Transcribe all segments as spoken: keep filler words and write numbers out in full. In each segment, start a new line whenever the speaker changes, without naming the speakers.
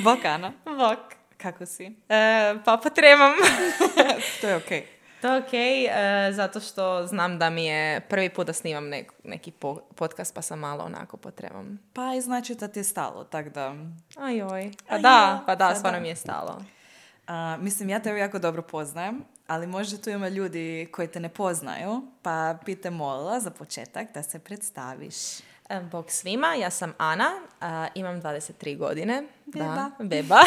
Bok, Ana.
Bok.
Kako si?
E, pa potremam.
To je okej.
To je okej, e, zato što znam da mi je prvi put da snimam nek, neki po, podcast, pa sam malo onako potremam.
Pa i znači da ti je stalo, tak da...
Ajoj. Pa
Ajoj,
da, pa da,
pa
stvarno
da.
mi je stalo.
A, mislim, ja tebe jako dobro poznajem, ali možda tu ima ljudi koji te ne poznaju, pa bi te molila za početak da se predstaviš.
E, Bog svima, ja sam Ana, a, imam dvadeset tri godine.
Beba.
Da, beba.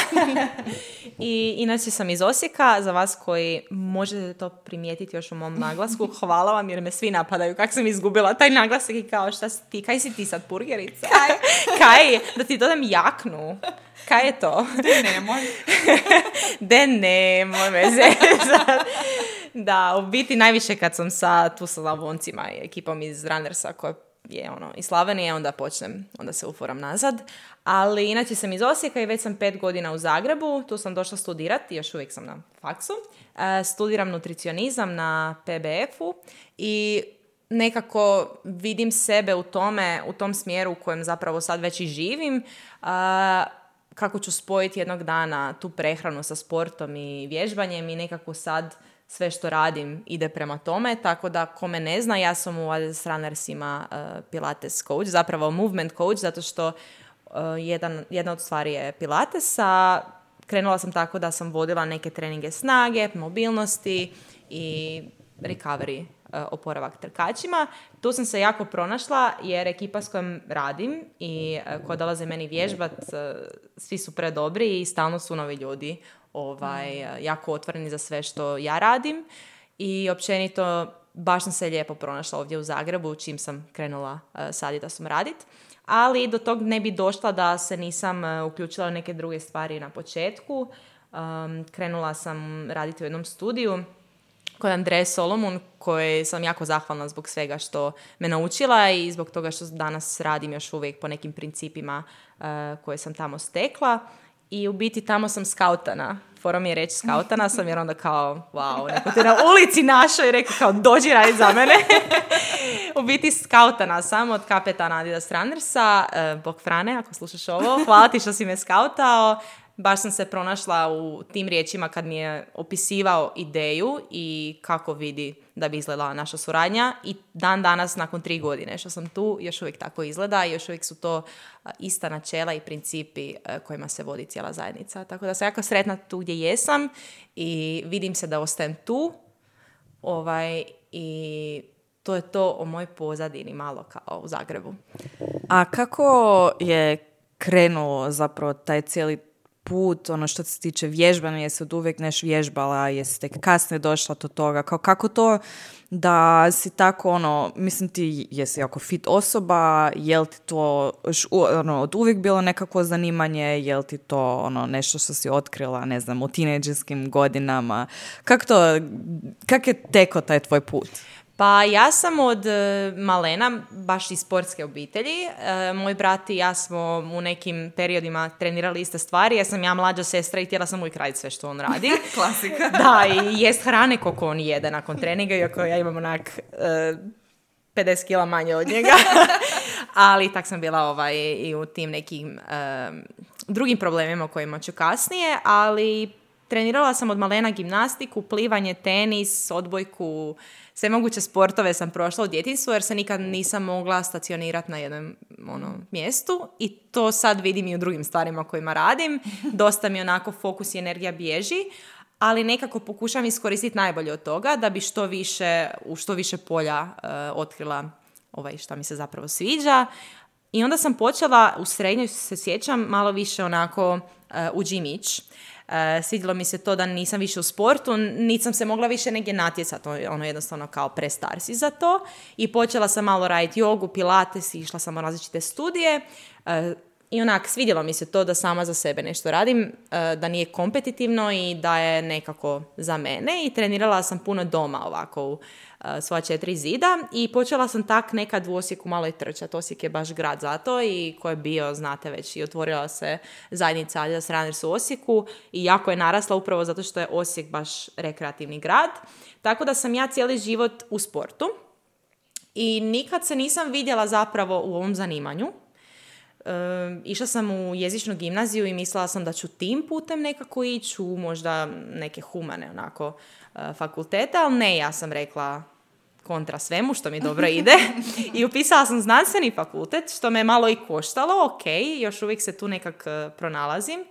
I inače sam iz Osijeka, za vas koji možete to primijetiti još u mom naglasku, hvala vam jer me svi napadaju kako sam izgubila taj naglasak i kao šta si ti, kaj si ti sad burgerica? Kaj? Kaj? Da ti dodam jaknu. Kaj je to?
De nemoj.
De nemoj me zezat. Da, u biti najviše kad sam sa, tu sa Slavoncima i ekipom iz Runnersa koja je ono, iz Slavonije, onda počnem, onda se uforam nazad. Ali inače sam iz Osijeka i već sam pet godina u Zagrebu, tu sam došla studirati, još uvijek sam na faksu. E, studiram nutricionizam na P B F-u i nekako vidim sebe u tome, u tom smjeru u kojem zapravo sad već i živim, a, kako ću spojiti jednog dana tu prehranu sa sportom i vježbanjem i nekako sad sve što radim ide prema tome, tako da ko me ne zna, ja sam u Adidas Runnersima uh, Pilates coach, zapravo movement coach, zato što uh, jedan, jedna od stvari je Pilates, a krenula sam tako da sam vodila neke treninge snage, mobilnosti i recovery, uh, oporavak trkačima. Tu sam se jako pronašla jer ekipa s kojom radim i uh, koja dolaze meni vježbat, uh, svi su predobri i stalno su novi ljudi ovaj, jako otvoreni za sve što ja radim i općenito baš sam se lijepo pronašla ovdje u Zagrebu čim sam krenula uh, s Adidasom radit, ali do tog ne bi došla da se nisam uh, uključila u neke druge stvari na početku. Um, krenula sam raditi u jednom studiju kod Andreje Solomon, koje sam jako zahvalna zbog svega što me naučila i zbog toga što danas radim još uvijek po nekim principima uh, koje sam tamo stekla. I u biti tamo sam skautana. Fora mi je reći skautana sam jer onda kao, wow, neko te na ulici našao i rekao kao dođi raditi za mene. U biti skautana sam od kapetana Adidas Runnersa, eh, Bog Frane, ako slušaš ovo, hvala ti što si me skautao. Baš sam se pronašla u tim riječima kad mi je opisivao ideju i kako vidi da bi izgledala naša suradnja i dan danas nakon tri godine što sam tu još uvijek tako izgleda i još uvijek su to ista načela i principi kojima se vodi cijela zajednica. Tako da sam jako sretna tu gdje jesam i vidim se da ostajem tu ovaj, i to je to o mojoj pozadini malo kao u Zagrebu.
A kako je krenuo zapravo taj cijeli put, ono što se tiče vježbanja, jesi od uvijek neš vježbala, jesi tek kasnije došla do toga, kao, kako to da si tako, ono, mislim ti jesi jako fit osoba, jel ti to ono, od uvijek bilo nekako zanimanje, jel ti to ono, nešto što si otkrila, ne znam, u tinejdžerskim godinama, kako to, kak je teko taj tvoj put?
Pa ja sam od e, malena, baš iz sportske obitelji. E, moj brat i ja smo u nekim periodima trenirali iste stvari. Ja sam ja mlađa sestra i htjela sam uvijek raditi sve što on radi.
Klasika.
Da, i jest hrane koliko on jede nakon treninga, iako ja imam onak e, pedeset kila manje od njega. Ali tak sam bila ovaj, i u tim nekim e, drugim problemima o kojima ću kasnije, ali trenirala sam od malena gimnastiku, plivanje, tenis, odbojku, sve moguće sportove sam prošla u djetinjstvu jer se nikad nisam mogla stacionirati na jednom ono, mjestu i to sad vidim i u drugim stvarima kojima radim. Dosta mi onako fokus i energija bježi, ali nekako pokušam iskoristiti najbolje od toga da bi što više, u što više polja uh, otkrila ovaj, šta mi se zapravo sviđa. I onda sam počela, u srednjoj se sjećam, malo više onako uh, u gym ići. Uh, svidjelo mi se to da nisam više u sportu, nisam se mogla više negdje natjecati, ono jednostavno kao prestar si za to i počela sam malo raditi jogu, pilates i išla sam u različite studije uh, i onak svidjelo mi se to da sama za sebe nešto radim, uh, da nije kompetitivno i da je nekako za mene i trenirala sam puno doma ovako u uh, svoja četiri zida i počela sam tak nekad u Osijeku malo i trčati. Osijek je baš grad za to i ko je bio, znate već, i otvorila se zajednica Adidas Runners u Osijeku i jako je narasla upravo zato što je Osijek baš rekreativni grad. Tako da sam ja cijeli život u sportu i nikad se nisam vidjela zapravo u ovom zanimanju. Um, išla sam u jezičnu gimnaziju i mislila sam da ću tim putem nekako ići u možda neke humane onako uh, fakultete, ali ne, ja sam rekla kontra svemu što mi dobro ide i upisala sam znanstveni fakultet, što me malo i koštalo, ok, još uvijek se tu nekak uh, pronalazim.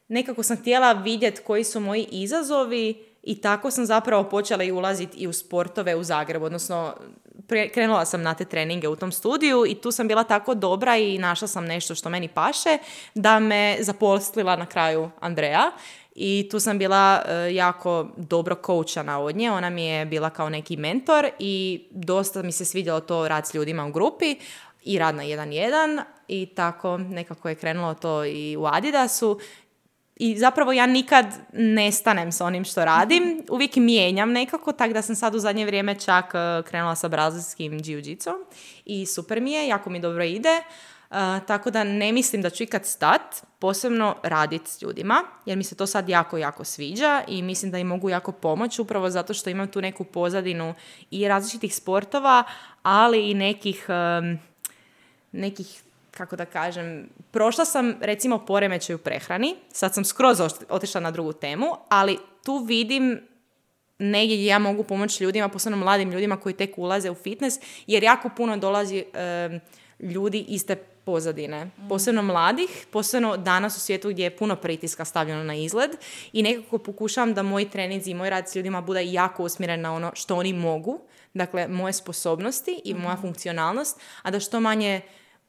Nekako sam htjela vidjeti koji su moji izazovi i tako sam zapravo počela i ulaziti i u sportove u Zagrebu, odnosno pre, krenula sam na te treninge u tom studiju i tu sam bila tako dobra i našla sam nešto što meni paše da me zaposlila na kraju Andreja i tu sam bila uh, jako dobro koučana od nje, ona mi je bila kao neki mentor i dosta mi se svidjelo to rad s ljudima u grupi i rad na jedan jedan i tako nekako je krenulo to i u Adidasu. I zapravo ja nikad ne stanem sa onim što radim, uvijek mijenjam nekako, tako da sam sad u zadnje vrijeme čak uh, krenula sa brazilskim jiu-jitsom i super mi je, jako mi dobro ide, uh, tako da ne mislim da ću ikad stat, posebno raditi s ljudima, jer mi se to sad jako, jako sviđa i mislim da im mogu jako pomoći upravo zato što imam tu neku pozadinu i različitih sportova, ali i nekih, um, nekih kako da kažem, prošla sam recimo poremećaj u prehrani, sad sam skroz otišla na drugu temu, ali tu vidim negdje gdje ja mogu pomoći ljudima, posebno mladim ljudima koji tek ulaze u fitness, jer jako puno dolazi e, ljudi iste pozadine, posebno mladih, posebno danas u svijetu gdje je puno pritiska stavljeno na izgled i nekako pokušavam da moji treninzi i moj rad s ljudima bude jako usmjeren na ono što oni mogu, dakle moje sposobnosti i moja funkcionalnost, a da što manje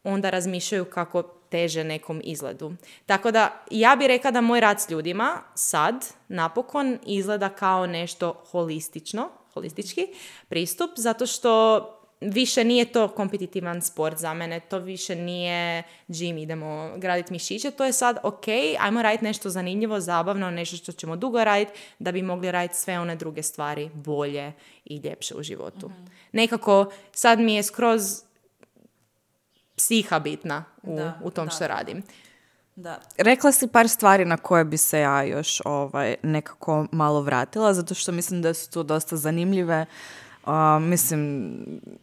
onda razmišljaju kako teže nekom izgledu. Tako da ja bih rekla da moj rad s ljudima sad napokon izgleda kao nešto holistično, holistički pristup, zato što više nije to kompetitivan sport za mene, to više nije gym, idemo graditi mišiće, to je sad ok, ajmo raditi nešto zanimljivo, zabavno, nešto što ćemo dugo raditi da bi mogli raditi sve one druge stvari bolje i ljepše u životu. Mm-hmm. Nekako sad mi je skroz psiha bitna u, da, u tom da, što radim.
Da. Rekla si par stvari na koje bi se ja još ovaj, nekako malo vratila, zato što mislim da su tu dosta zanimljive. Uh, mislim,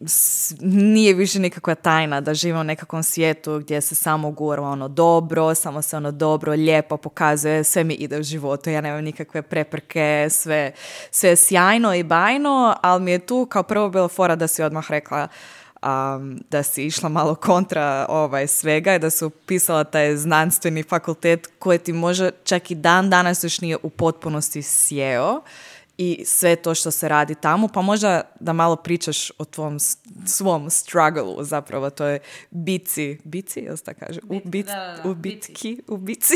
s, nije više nikakva tajna da živimo u nekakvom svijetu gdje se samo gura ono dobro, samo se ono dobro, lijepo pokazuje, sve mi ide u životu, ja nemam nikakve prepreke, sve, sve je sjajno i bajno, ali mi je tu kao prvo bilo fora da si odmah rekla Um, da si išla malo kontra ovaj, svega i da si upisala taj znanstveni fakultet koji ti može čak i dan danas još nije u potpunosti sjeo i sve to što se radi tamo, pa možda da malo pričaš o tvom svom struggle-u, zapravo to je bici, bici, jel se tako kaže?
Bit,
u, bit,
da, da,
u bitki, u bici,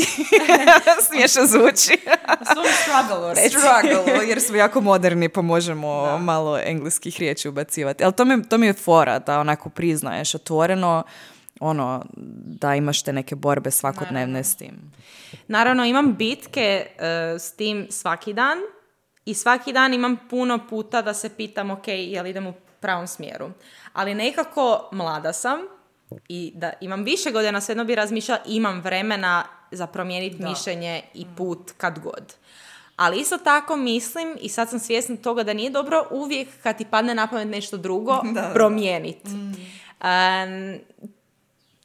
smiješno zvuči.
Svom struggle-u reći.
Struggle, jer smo jako moderni pa možemo da. malo engleskih riječi ubacivati. Ali to mi, to mi je fora da onako priznaješ otvoreno ono, da imaš te neke borbe svakodnevne Naravno. s tim.
Naravno, imam bitke uh, s tim svaki dan. I svaki dan imam puno puta da se pitam, ok, jel idem u pravom smjeru. Ali nekako mlada sam i da imam više godina, svejedno bi razmišljala, imam vremena za promijeniti da. mišljenje i put kad god. Ali isto tako mislim, i sad sam svjesna toga da nije dobro uvijek kad ti padne na pamet nešto drugo, da, promijeniti. Mm. Um,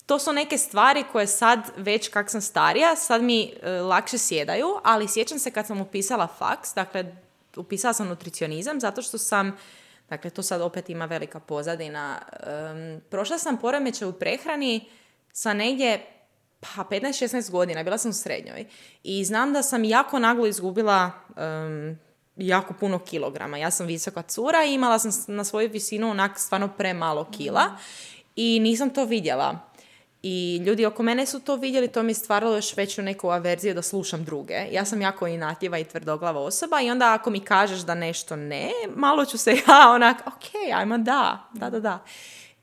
to su neke stvari koje sad, već kak sam starija, sad mi uh, lakše sjedaju, ali sjećam se kad sam upisala faks, dakle, upisala sam nutricionizam zato što sam, dakle to sad opet ima velika pozadina, um, prošla sam poremećaj u prehrani sa negdje pa petnaest šesnaest godina, bila sam u srednjoj i znam da sam jako naglo izgubila um, jako puno kilograma. Ja sam visoka cura i imala sam na svoju visinu onak stvarno premalo kila mm. i nisam to vidjela. I ljudi oko mene su to vidjeli, to mi je stvaralo još veću neku averziju da slušam druge. Ja sam jako inatljiva i tvrdoglava osoba i onda ako mi kažeš da nešto ne, malo ću se ja onak, ok, ajmo da, da, da, da.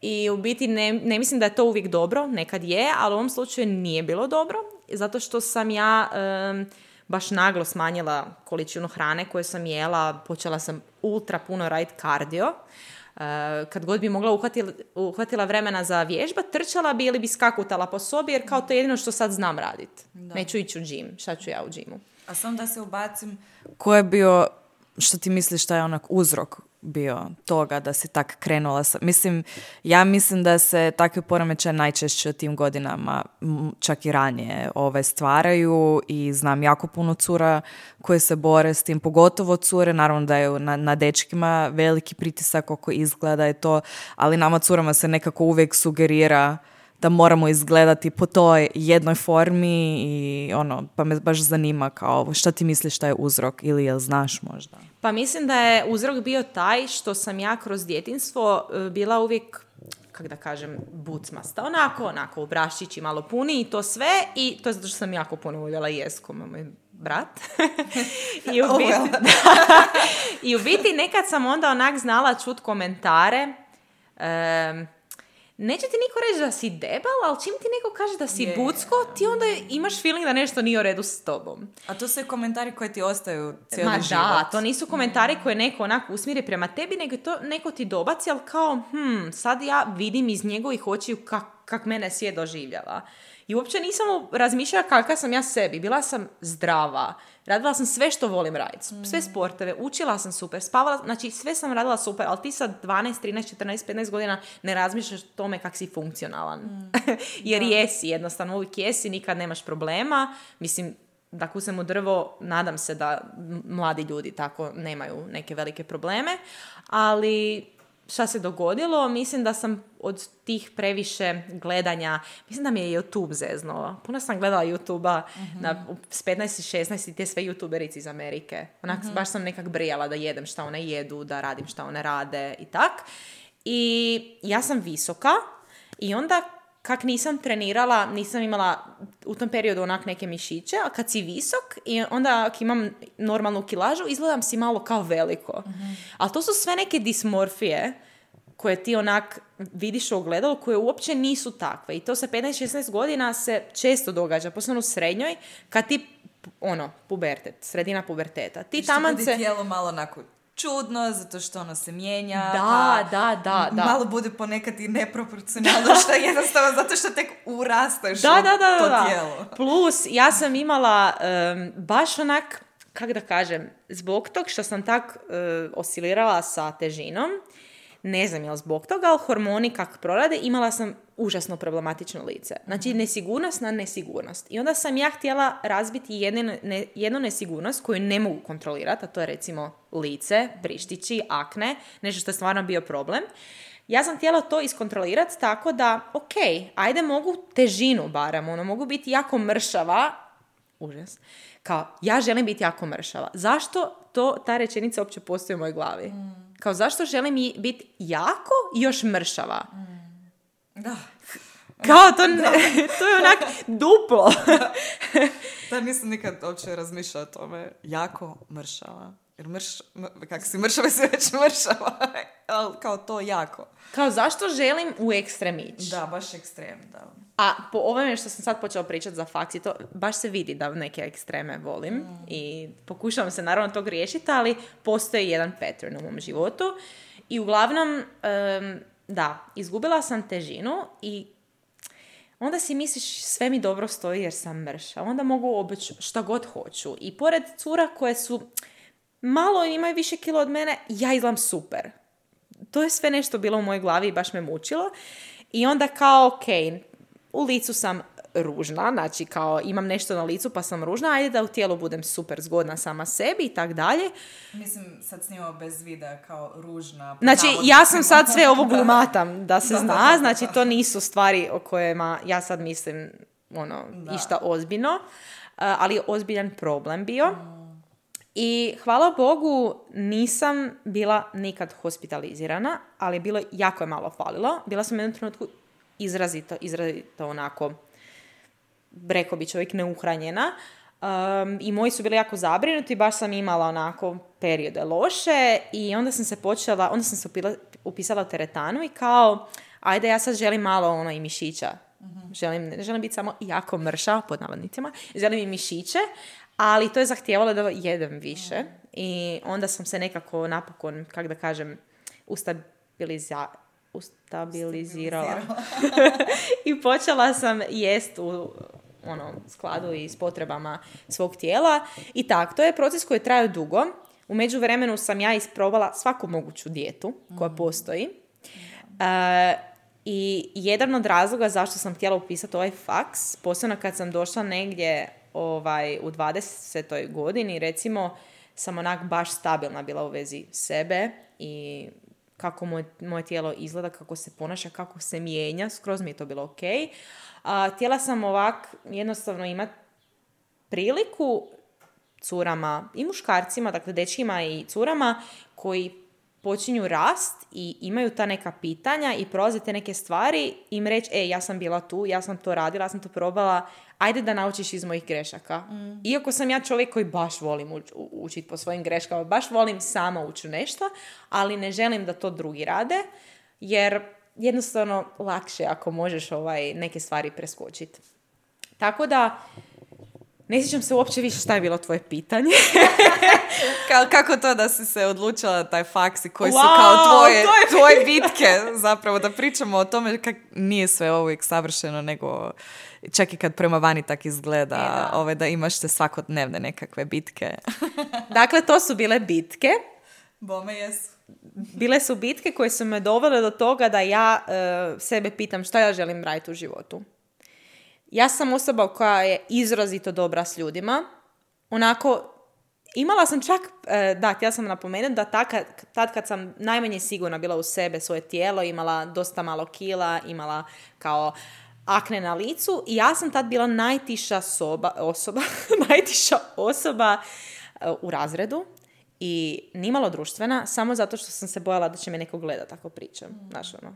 I u biti ne, ne mislim da je to uvijek dobro, nekad je, ali u ovom slučaju nije bilo dobro, zato što sam ja um, baš naglo smanjila količinu hrane koju sam jela, počela sam ultra puno raditi kardio. Uh, kad god bi mogla uhvatila, uhvatila vremena za vježba, trčala bi ili bi skakutala po sobi, jer kao to je jedino što sad znam raditi. Neću ići u džim, šta ću ja u džimu.
A sam da se ubacim, ko je bio što ti misliš šta je onak uzrok bio toga da si tak krenula sa... Mislim, ja mislim da se takve poremećaje najčešće u tim godinama, čak i ranije, ove stvaraju i znam jako puno cura koje se bore s tim, pogotovo cure, naravno da je na, na dečkima veliki pritisak oko izgleda i to, ali nama curama se nekako uvijek sugerira da moramo izgledati po toj jednoj formi i ono, pa me baš zanima kao šta ti misliš šta je uzrok ili jel znaš možda?
Pa mislim da je uzrok bio taj što sam ja kroz djetinjstvo bila uvijek, kako da kažem, bucmasta. Onako, onako, obraščići malo puni i to sve i to je zato što sam jako puno voljela jest ko moj brat. I, u biti, oh, well. I u biti nekad sam onda onak znala čut komentare um, neće ti niko reći da si debel, ali čim ti neko kaže da si yeah. bucko, ti onda imaš feeling da nešto nije u redu s tobom.
A to su komentari koji ti ostaju cijeli
Ma
život.
Da, to nisu komentari mm. koje neko onako usmjeri prema tebi, nego to neko ti dobaci, ali kao, hm, sad ja vidim iz njegovih očiju kak, kak mene svijet doživljava. I uopće nisam razmišljala kakva sam ja sebi. Bila sam zdrava. Radila sam sve što volim raditi. Sve sporteve. Učila sam super. Spavala. Znači sve sam radila super. Ali ti sad dvanaest, trinaest, četrnaest, petnaest godina ne razmišljaš o tome kak si funkcionalan. Mm. Jer da. Jesi jednostavno. Uvijek jesi. Nikad nemaš problema. Mislim, da kusem u drvo, nadam se da mladi ljudi tako nemaju neke velike probleme. Ali... šta se dogodilo, mislim da sam od tih previše gledanja, mislim da mi je YouTube zeznuo. Puno sam gledala YouTube-a uh-huh. na, s petnaest i šesnaest i te sve YouTuberici iz Amerike. Onak, uh-huh. baš sam nekak brijala da jedem šta one jedu, da radim šta one rade i tak. I ja sam visoka i onda kak nisam trenirala, nisam imala u tom periodu onak neke mišiće, a kad si visok i onda ako imam normalnu kilažu, izgledam si malo kao veliko. Mm-hmm. Ali to su sve neke dismorfije koje ti onak vidiš u ogledalu, koje uopće nisu takve. I to sa petnaest šesnaest godina se često događa, posebno u srednjoj, kad ti, ono, pubertet, sredina puberteta. Ti taman se...
Što bude tijelo malo onako čudno, zato što ono se mijenja.
Da, da, da, da.
Malo bude ponekad i neproporcionalno, što je jednostavno zato što tek urastaš
da, da, da,
to
da.
tijelo.
Plus, ja sam imala um, baš onak, kako da kažem, zbog tog što sam tak uh, oscilirala sa težinom, ne znam je li zbog toga, ali hormoni kak prorade, imala sam užasno problematično lice. Znači, nesigurnost na nesigurnost. I onda sam ja htjela razbiti jedne, ne, jednu nesigurnost koju ne mogu kontrolirati, a to je recimo lice, prištići, akne, nešto što je stvarno bio problem. Ja sam htjela to iskontrolirati tako da, ok, ajde mogu težinu barem, ono, mogu biti jako mršava, užas, kao, ja želim biti jako mršava. Zašto to, ta rečenica uopće postoji u mojoj glavi? Mm. Kao, zašto želim biti jako i još mršava? Mm.
Da.
Kao, to, ne, to je onak duplo.
Da, nisam nikad uopće razmišljala o tome. Jako mršava. Jer mrš, kak si mršava, si već mršava. Ali kao to jako.
Kao, zašto želim u ekstrem ići?
Da, baš ekstrem, da.
A po ovome što sam sad počela pričati za faksi, to baš se vidi da neke ekstreme volim mm. i pokušavam se naravno tog riješiti, ali postoji jedan pattern u mom životu. I uglavnom, um, da, izgubila sam težinu i onda si misliš sve mi dobro stoji jer sam mrša. Onda mogu obeći šta god hoću. I pored cura koje su malo imaju više kilo od mene, ja izgledam super. To je sve nešto bilo u mojoj glavi i baš me mučilo. I onda kao, ok, u licu sam ružna, znači kao imam nešto na licu pa sam ružna, ajde da u tijelu budem super zgodna sama sebi i tak dalje.
Mislim, sad snimamo bez videa kao ružna.
Znači, ja sam sad sve ovo glumatam, da se da, zna, da, da, znači to nisu stvari o kojima ja sad mislim ono, da. išta ozbiljno, uh, ali je ozbiljan problem bio. Mm. I hvala Bogu nisam bila nikad hospitalizirana, ali bilo jako je malo falilo. Bila sam u jednom trenutku izrazito, izrazito onako, rekao bi čovjek, neuhranjena. Um, I moji su bili jako zabrinuti, baš sam imala onako periode loše i onda sam se počela, onda sam se upila, upisala u teretanu i kao, ajde ja sad želim malo ono i mišića. Mm-hmm. Želim, ne želim biti samo jako mrša, pod navodnicima, želim i mišiće, ali to je zahtijevalo da jedem više. Mm. I onda sam se nekako napokon, kako da kažem, ustabiliza, ustabilizirala. I počela sam jest u ono, skladu i s potrebama svog tijela. I tak, to je proces koji traje dugo, U međuvremenu sam ja isprobala svaku moguću dijetu koja postoji. Uh, I jedan od razloga zašto sam htjela upisati ovaj faks, posebno kad sam došla negdje ovaj, u dvadesetoj godini, recimo, sam onak baš stabilna bila u vezi sebe i kako moj, moje tijelo izgleda, kako se ponaša, kako se mijenja, skroz mi je to bilo ok. A, htjela sam ovak jednostavno imati priliku curama i muškarcima, dakle dečkima i curama koji počinju rast i imaju ta neka pitanja i prolaze te neke stvari, im reći, e, ja sam bila tu, ja sam to radila, ja sam to probala, ajde da naučiš iz mojih grešaka. Mm. Iako sam ja čovjek koji baš volim uč- učiti po svojim greškama, baš volim sama ući nešto, ali ne želim da to drugi rade, jer jednostavno lakše ako možeš ovaj, neke stvari preskočiti. Tako da, ne sjećam se uopće više šta je bilo tvoje pitanje.
Ka- kako to da si se odlučila na taj faks i koji
Wow,
su kao tvoje,
je...
tvoje bitke, zapravo da pričamo o tome kako nije sve uvijek savršeno, nego čak i kad prema vani tak izgleda,
e, da.
Ove, da imaš te svakodnevne nekakve bitke.
Dakle, to su bile bitke.
Bome jesu.
Bile su bitke koje su me dovele do toga da ja uh, sebe pitam šta ja želim raditi u životu. Ja sam osoba koja je izrazito dobra s ljudima. Onako, imala sam čak, da, htjela sam napomenuti da tad, tad kad sam najmanje sigurna bila u sebe, svoje tijelo, imala dosta malo kila, imala kao akne na licu i ja sam tad bila najtiša soba, osoba, najtiša osoba u razredu i nimalo društvena, samo zato što sam se bojala da će me neko gledati ako pričam. Mm. Znaš, ono,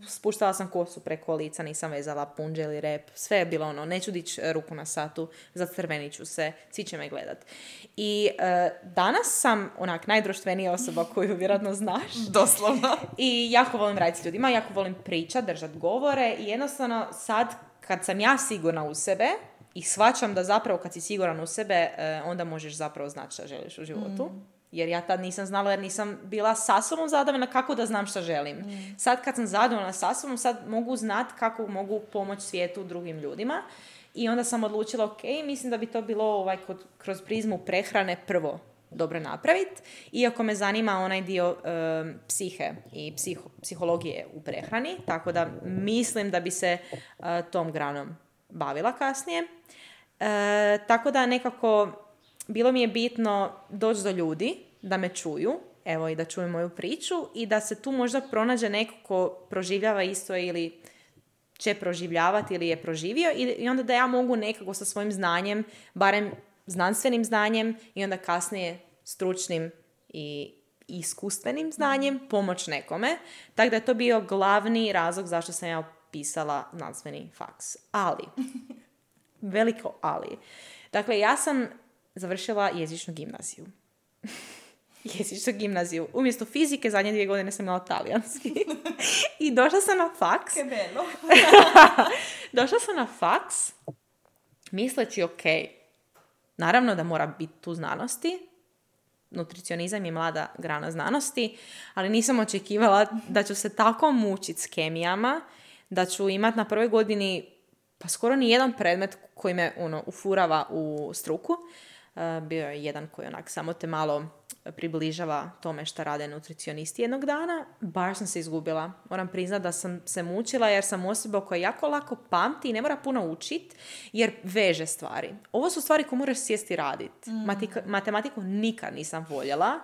spuštala sam kosu preko lica, nisam vezala punđe ili rep, sve je bilo ono, neću dići ruku na satu, zacrvenit ću se, svi će me gledat. I e, danas sam onak najdruštvenija osoba koju vjerojatno znaš.
Doslovno.
I jako volim raditi s ljudima, jako volim pričat, držat govore i jednostavno sad kad sam ja sigurna u sebe i shvaćam da zapravo kad si siguran u sebe, e, onda možeš zapravo znati šta želiš u životu. Mm. Jer ja tad nisam znala, jer nisam bila sa sobom zadovoljna kako da znam šta želim. Mm. Sad kad sam zadovoljna sa sobom, sad mogu znati kako mogu pomoći svijetu drugim ljudima. I onda sam odlučila, ok, mislim da bi to bilo ovaj, kod, kroz prizmu prehrane prvo dobro napraviti. Iako me zanima onaj dio um, psihe i psiho, psihologije u prehrani. Tako da mislim da bi se uh, tom granom bavila kasnije. Uh, tako da nekako... Bilo mi je bitno doći do ljudi, da me čuju, evo i da čuju moju priču i da se tu možda pronađe neko ko proživljava isto ili će proživljavati ili je proživio i onda da ja mogu nekako sa svojim znanjem, barem znanstvenim znanjem i onda kasnije stručnim i iskustvenim znanjem pomoć nekome. Tako da je to bio glavni razlog zašto sam ja upisala znanstveni faks. Ali, veliko ali. Dakle, ja sam završila jezičnu gimnaziju. jezičnu gimnaziju. Umjesto fizike, zadnje dvije godine sam imala talijanski. I došla sam na faks.
Che bello.
došla sam na faks, misleći, ok, naravno da mora biti tu znanosti. Nutricionizam je mlada grana znanosti, ali nisam očekivala da ću se tako mučiti s kemijama, da ću imati na prvoj godini pa skoro ni jedan predmet koji me ono, ufurava u struku. Uh, bio je jedan koji onak samo te malo približava tome šta rade nutricionisti jednog dana. Baš sam se izgubila. Moram priznati da sam se mučila jer sam osoba koja jako lako pamti i ne mora puno učit jer veže stvari. Ovo su stvari koje moraš sjesti raditi. Mm. Matika, matematiku nikad nisam voljela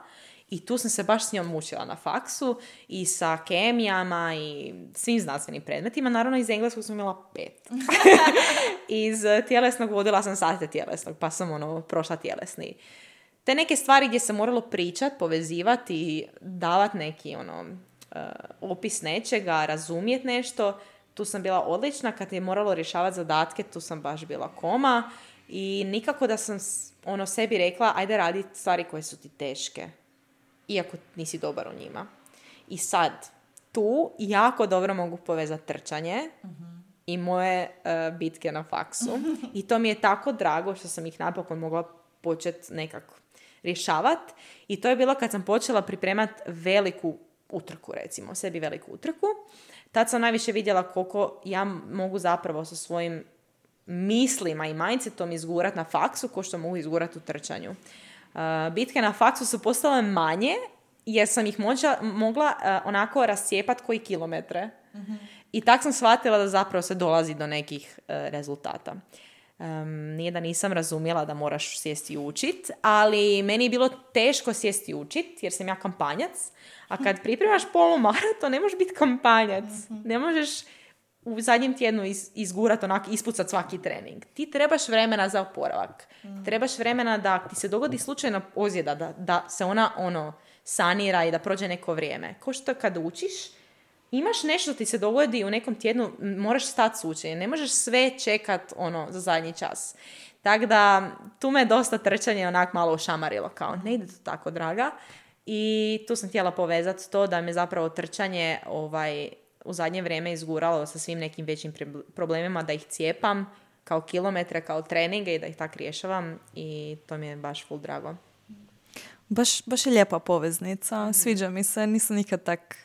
i tu sam se baš s njom mučila na faksu i sa kemijama i svim znanstvenim predmetima. Naravno iz engleskog sam imala pet. Iz tjelesnog vodila sam sate tjelesnog, pa sam ono prošla tjelesni. Te neke stvari gdje sam moralo pričat, povezivati i davat neki ono, uh, opis nečega, razumjet nešto, tu sam bila odlična. Kad je moralo rješavati zadatke, tu sam baš bila koma i nikako da sam ono sebi rekla ajde radi stvari koje su ti teške, iako nisi dobar u njima. I sad, tu jako dobro mogu povezati trčanje uh-huh. i moje uh, bitke na faksu. I to mi je tako drago što sam ih napokon mogla početi nekako rješavati. I to je bilo kad sam počela pripremati veliku utrku, recimo, sebi veliku utrku. Tad sam najviše vidjela koliko ja mogu zapravo sa svojim mislima i mindsetom izgurat na faksu ko što mogu izgurat u trčanju. Uh, bitke na faksu su postale manje jer sam ih mođa, mogla uh, onako rascijepat koji kilometre. Mm-hmm. I tak sam shvatila da zapravo se dolazi do nekih uh, rezultata. Um, nije da nisam razumjela da moraš sjesti i učit, ali meni je bilo teško sjesti i učit jer sam ja kampanjac, a kad pripremaš polumaraton ne možeš biti kampanjac. Ne možeš u zadnjem tjednu iz, izgurat onak, ispucat svaki trening. Ti trebaš vremena za oporavak. Trebaš vremena da ti se dogodi slučajna ozljeda, da, da se ona ono sanira i da prođe neko vrijeme. Ko što kad učiš, imaš nešto ti se dogodi u nekom tjednu, moraš stati s učenjem. Ne možeš sve čekat ono, za zadnji čas. Tako da, tu me dosta trčanje onak malo ušamarilo. Kao, ne ide to tako, draga. I tu sam htjela povezati to da me zapravo trčanje ovaj, u zadnje vrijeme izguralo sa svim nekim većim problemima, da ih cijepam kao kilometre, kao treninge i da ih tak rješavam. I to mi je baš full drago.
Baš, baš je lijepa poveznica. Sviđa mi se. Nisam nikad tak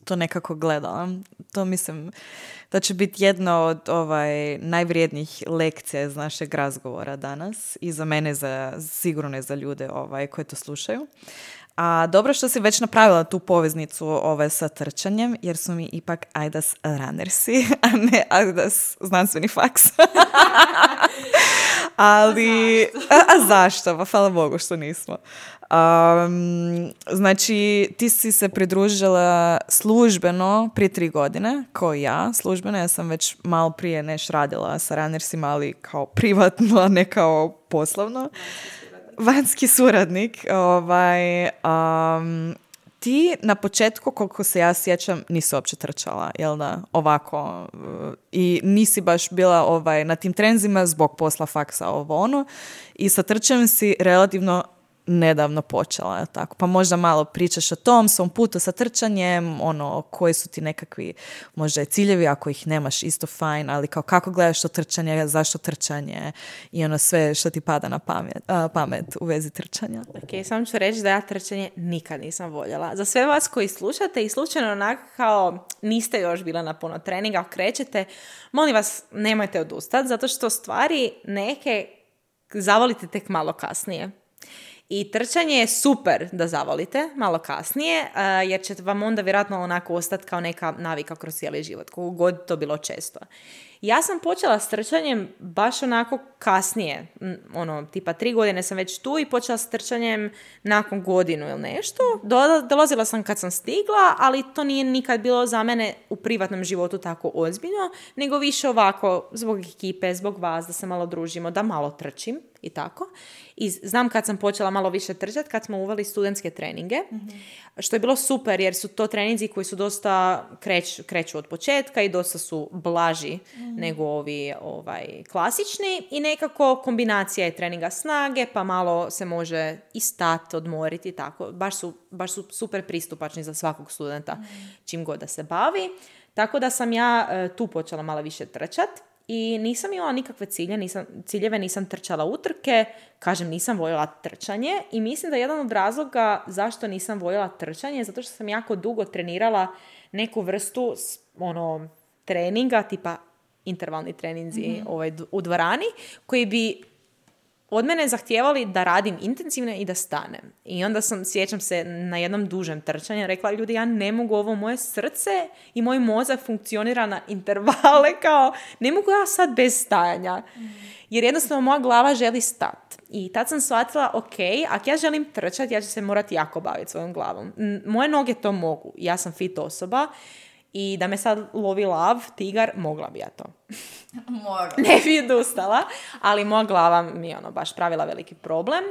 to nekako gledala. To mislim da će biti jedna od ovaj, najvrijednijih lekcija iz našeg razgovora danas i za mene, za, sigurno ne za ljude ovaj, koji to slušaju. A dobro što si već napravila tu poveznicu ovaj, sa trčanjem, jer su mi ipak Ajdas runnersi, a ne Ajdas znanstveni faks. Ali, a, a zašto? Pa hvala Bogu što nismo. Um, znači, ti si se pridružila službeno prije tri godine, kao i ja. Službeno, ja sam već malo prije neš radila sa runnersima, ali kao privatno, a ne kao poslovno. Vanjski suradnik. Ovaj, um, ti na početku, koliko se ja sjećam, nisi uopće trčala, jel da? Ovako. I nisi baš bila ovaj, na tim trenzima zbog posla, faksa, ovo ono. I sa trčanjem si relativno nedavno počela, tako. Pa možda malo pričaš o tom svom putu sa trčanjem, ono, koji su ti nekakvi možda i ciljevi, ako ih nemaš, isto fajn, ali kao kako gledaš to trčanje, zašto trčanje i ono sve što ti pada na pamet, a, pamet u vezi trčanja.
Ok, samo ću reći da ja trčanje nikad nisam voljela. Za sve vas koji slušate i slučajno onako kao niste još bila na puno treninga, krećete, molim vas, nemojte odustati, zato što stvari neke zavolite tek malo kasnije. I trčanje je super da zavolite malo kasnije, uh, jer će vam onda vjerojatno onako ostati kao neka navika kroz cijeli život, koliko god to bilo često. Ja sam počela s trčanjem baš onako kasnije, ono, tipa tri godine sam već tu i počela s trčanjem nakon godinu ili nešto. Dolazila sam kad sam stigla, ali to nije nikad bilo za mene u privatnom životu tako ozbiljno, nego više ovako zbog ekipe, zbog vas, da se malo družimo, da malo trčim i tako. I znam kad sam počela malo više trčati, kad smo uveli studentske treninge, mm-hmm. što je bilo super jer su to treninzi koji su dosta kreć, kreću od početka i dosta su blaži mm-hmm. nego ovi ovaj, klasični i nekako kombinacija je treninga snage, pa malo se može i stati, odmoriti i tako. Baš su, baš su super pristupačni za svakog studenta mm-hmm. čim god da se bavi. Tako da sam ja e, tu počela malo više trčati. I nisam imala nikakve cilje, nisam, ciljeve, nisam trčala utrke, kažem nisam voljela trčanje i mislim da jedan od razloga zašto nisam voljela trčanje je zato što sam jako dugo trenirala neku vrstu ono, treninga, tipa intervalni treninzi mm-hmm. ovaj, u dvorani, koji bi od mene zahtijevali da radim intenzivno i da stanem. I onda sam, sjećam se, na jednom dužem trčanju rekla, ljudi, ja ne mogu, ovo moje srce i moj mozak funkcionira na intervale, kao, ne mogu ja sad bez stajanja. Jer jednostavno moja glava želi stati. I tad sam shvatila, ok, ako ja želim trčati, ja ću se morati jako baviti svojom glavom. Moje noge to mogu. Ja sam fit osoba. I da me sad lovi lav, tigar, mogla bi ja to.
Mogla.
Ne bi odustala, ali moja glava mi je ono baš pravila veliki problem.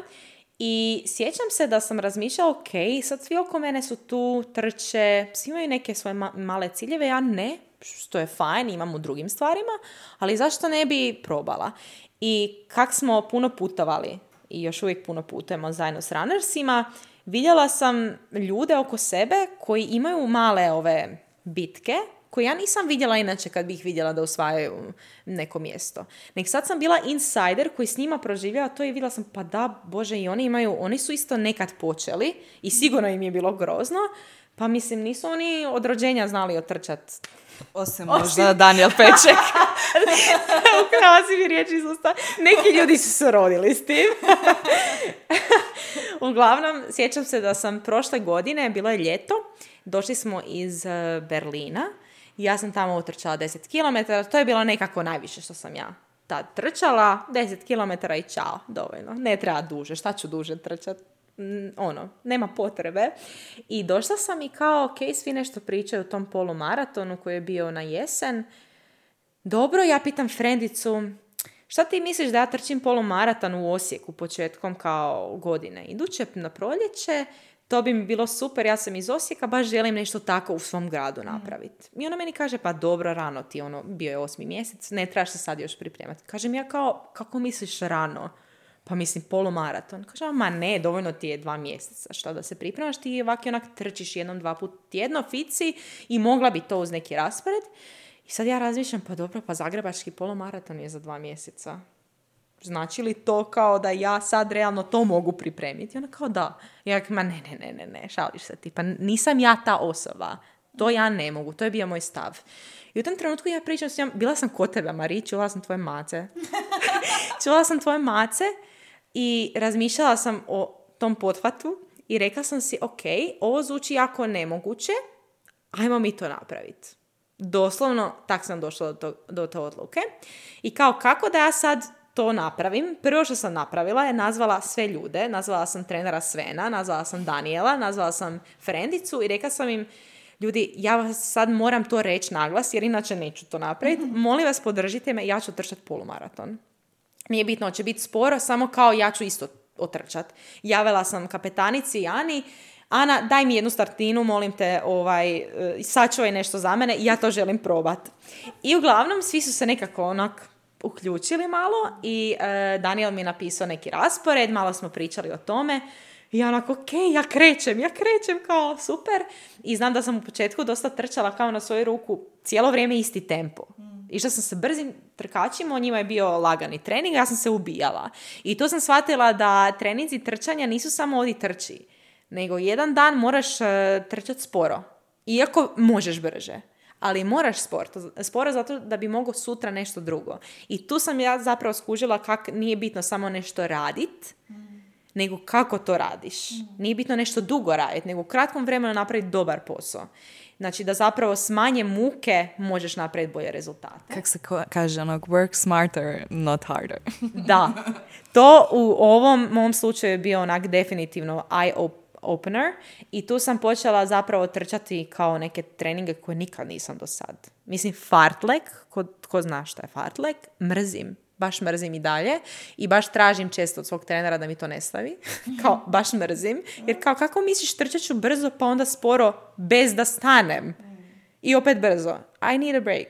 I sjećam se da sam razmišljala, ok, sad svi oko mene su tu, trče, svi imaju neke svoje ma- male ciljeve, ja ne, što je fajn, imam u drugim stvarima, ali zašto ne bi probala? I kak smo puno putovali i još uvijek puno putujemo zajedno s runnersima, vidjela sam ljude oko sebe koji imaju male ove bitke, koje ja nisam vidjela inače kad bih vidjela da osvajaju neko mjesto. Nek sad sam bila insider koji s njima proživljava to i vidjela sam, pa da, Bože, i oni imaju, oni su isto nekad počeli i sigurno im je bilo grozno, pa mislim, nisu oni od rođenja znali otrčati.
Osim možda Daniel Peček.
Ukrala si mi riječ iz usta. Neki ljudi su se rodili s tim. Uglavnom, sjećam se da sam prošle godine, bilo je ljeto, došli smo iz uh, Berlina i ja sam tamo utrčala deset kilometara. To je bilo nekako najviše što sam ja tad trčala. deset kilometara i čao, dovoljno. Ne treba duže, šta ću duže trčati? Mm, ono, nema potrebe. I došla sam i kao, ok, svi nešto pričaju o tom polumaratonu koji je bio na jesen. Dobro, ja pitam frendicu, šta ti misliš da ja trčim polumaraton u Osijeku početkom kao godine? Iduće na proljeće, to bi mi bilo super, ja sam iz Osijeka, baš želim nešto tako u svom gradu napraviti. I ona meni kaže, pa dobro, rano ti, ono, bio je osmi mjesec, ne trebaš se sad još pripremati. Kažem ja kao, kako misliš rano? Pa mislim, polumaraton. Kažem, ma ne, dovoljno ti je dva mjeseca. Šta da se pripremaš, ti ovako onak trčiš jednom, dva put tjedno, fici i mogla bi to uz neki raspored. I sad ja razmišljam, pa dobro, pa zagrebački polumaraton je za dva mjeseca. Znači li to kao da ja sad realno to mogu pripremiti? I ona kao da. Ja ma ne, ne, ne, ne, ne, šališ se ti. Pa nisam ja ta osoba. To ja ne mogu. To je bio moj stav. I u tom trenutku ja pričam s njom, bila sam kod tebe, Mari, čula sam tvoje mace. čula sam tvoje mace i razmišljala sam o tom pothvatu i rekla sam si, ok, ovo zvuči jako nemoguće, ajmo mi to napraviti. Doslovno, tak sam došla do, to, do te odluke. I kao kako da ja sad to napravim? Prvo što sam napravila je nazvala sve ljude, nazvala sam trenera Svena, nazvala sam Daniela, nazvala sam frendicu i rekla sam im, ljudi, ja vas sad moram to reći naglas jer inače neću to napraviti. Molim vas, podržite me, ja ću trčati polumaraton. Nije bitno, će biti sporo, samo kao ja ću isto otrčati. Javila sam kapetanici Ani, Ana, daj mi jednu startinu, molim te, ovaj, sačuvaj nešto za mene, ja to želim probati. I uglavnom, svi su se nekako onak uključili malo i uh, Daniel mi je napisao neki raspored, malo smo pričali o tome. I ja onako, ok, ja krećem, ja krećem, kao super. I znam da sam u početku dosta trčala kao na svoju ruku cijelo vrijeme isti tempo. Išla sam se brzim trkačima, o njima je bio lagani trening, ja sam se ubijala. I tu sam shvatila da treninzi trčanja nisu samo odi trči, nego jedan dan moraš uh, trčati sporo. Iako možeš brže. Ali moraš sporo, sporo zato da bi mogao sutra nešto drugo. I tu sam ja zapravo skužila kak nije bitno samo nešto radit, mm. nego kako to radiš. Mm. Nije bitno nešto dugo raditi, nego u kratkom vremenu napraviti dobar posao. Znači da zapravo s manje muke možeš napraviti bolje rezultate.
Kako se kaže, onog, work smarter, not harder.
Da. To u ovom mom slučaju je bio onak definitivno eye opener i tu sam počela zapravo trčati kao neke treninge koje nikad nisam do sad. Mislim, fartlek, ko, ko zna šta je fartlek, mrzim. Baš mrzim i dalje i baš tražim često od svog trenera da mi to ne stavi. Kao, baš mrzim. Jer kao, kako misliš trčat ću brzo pa onda sporo bez da stanem? I opet brzo. I need a break.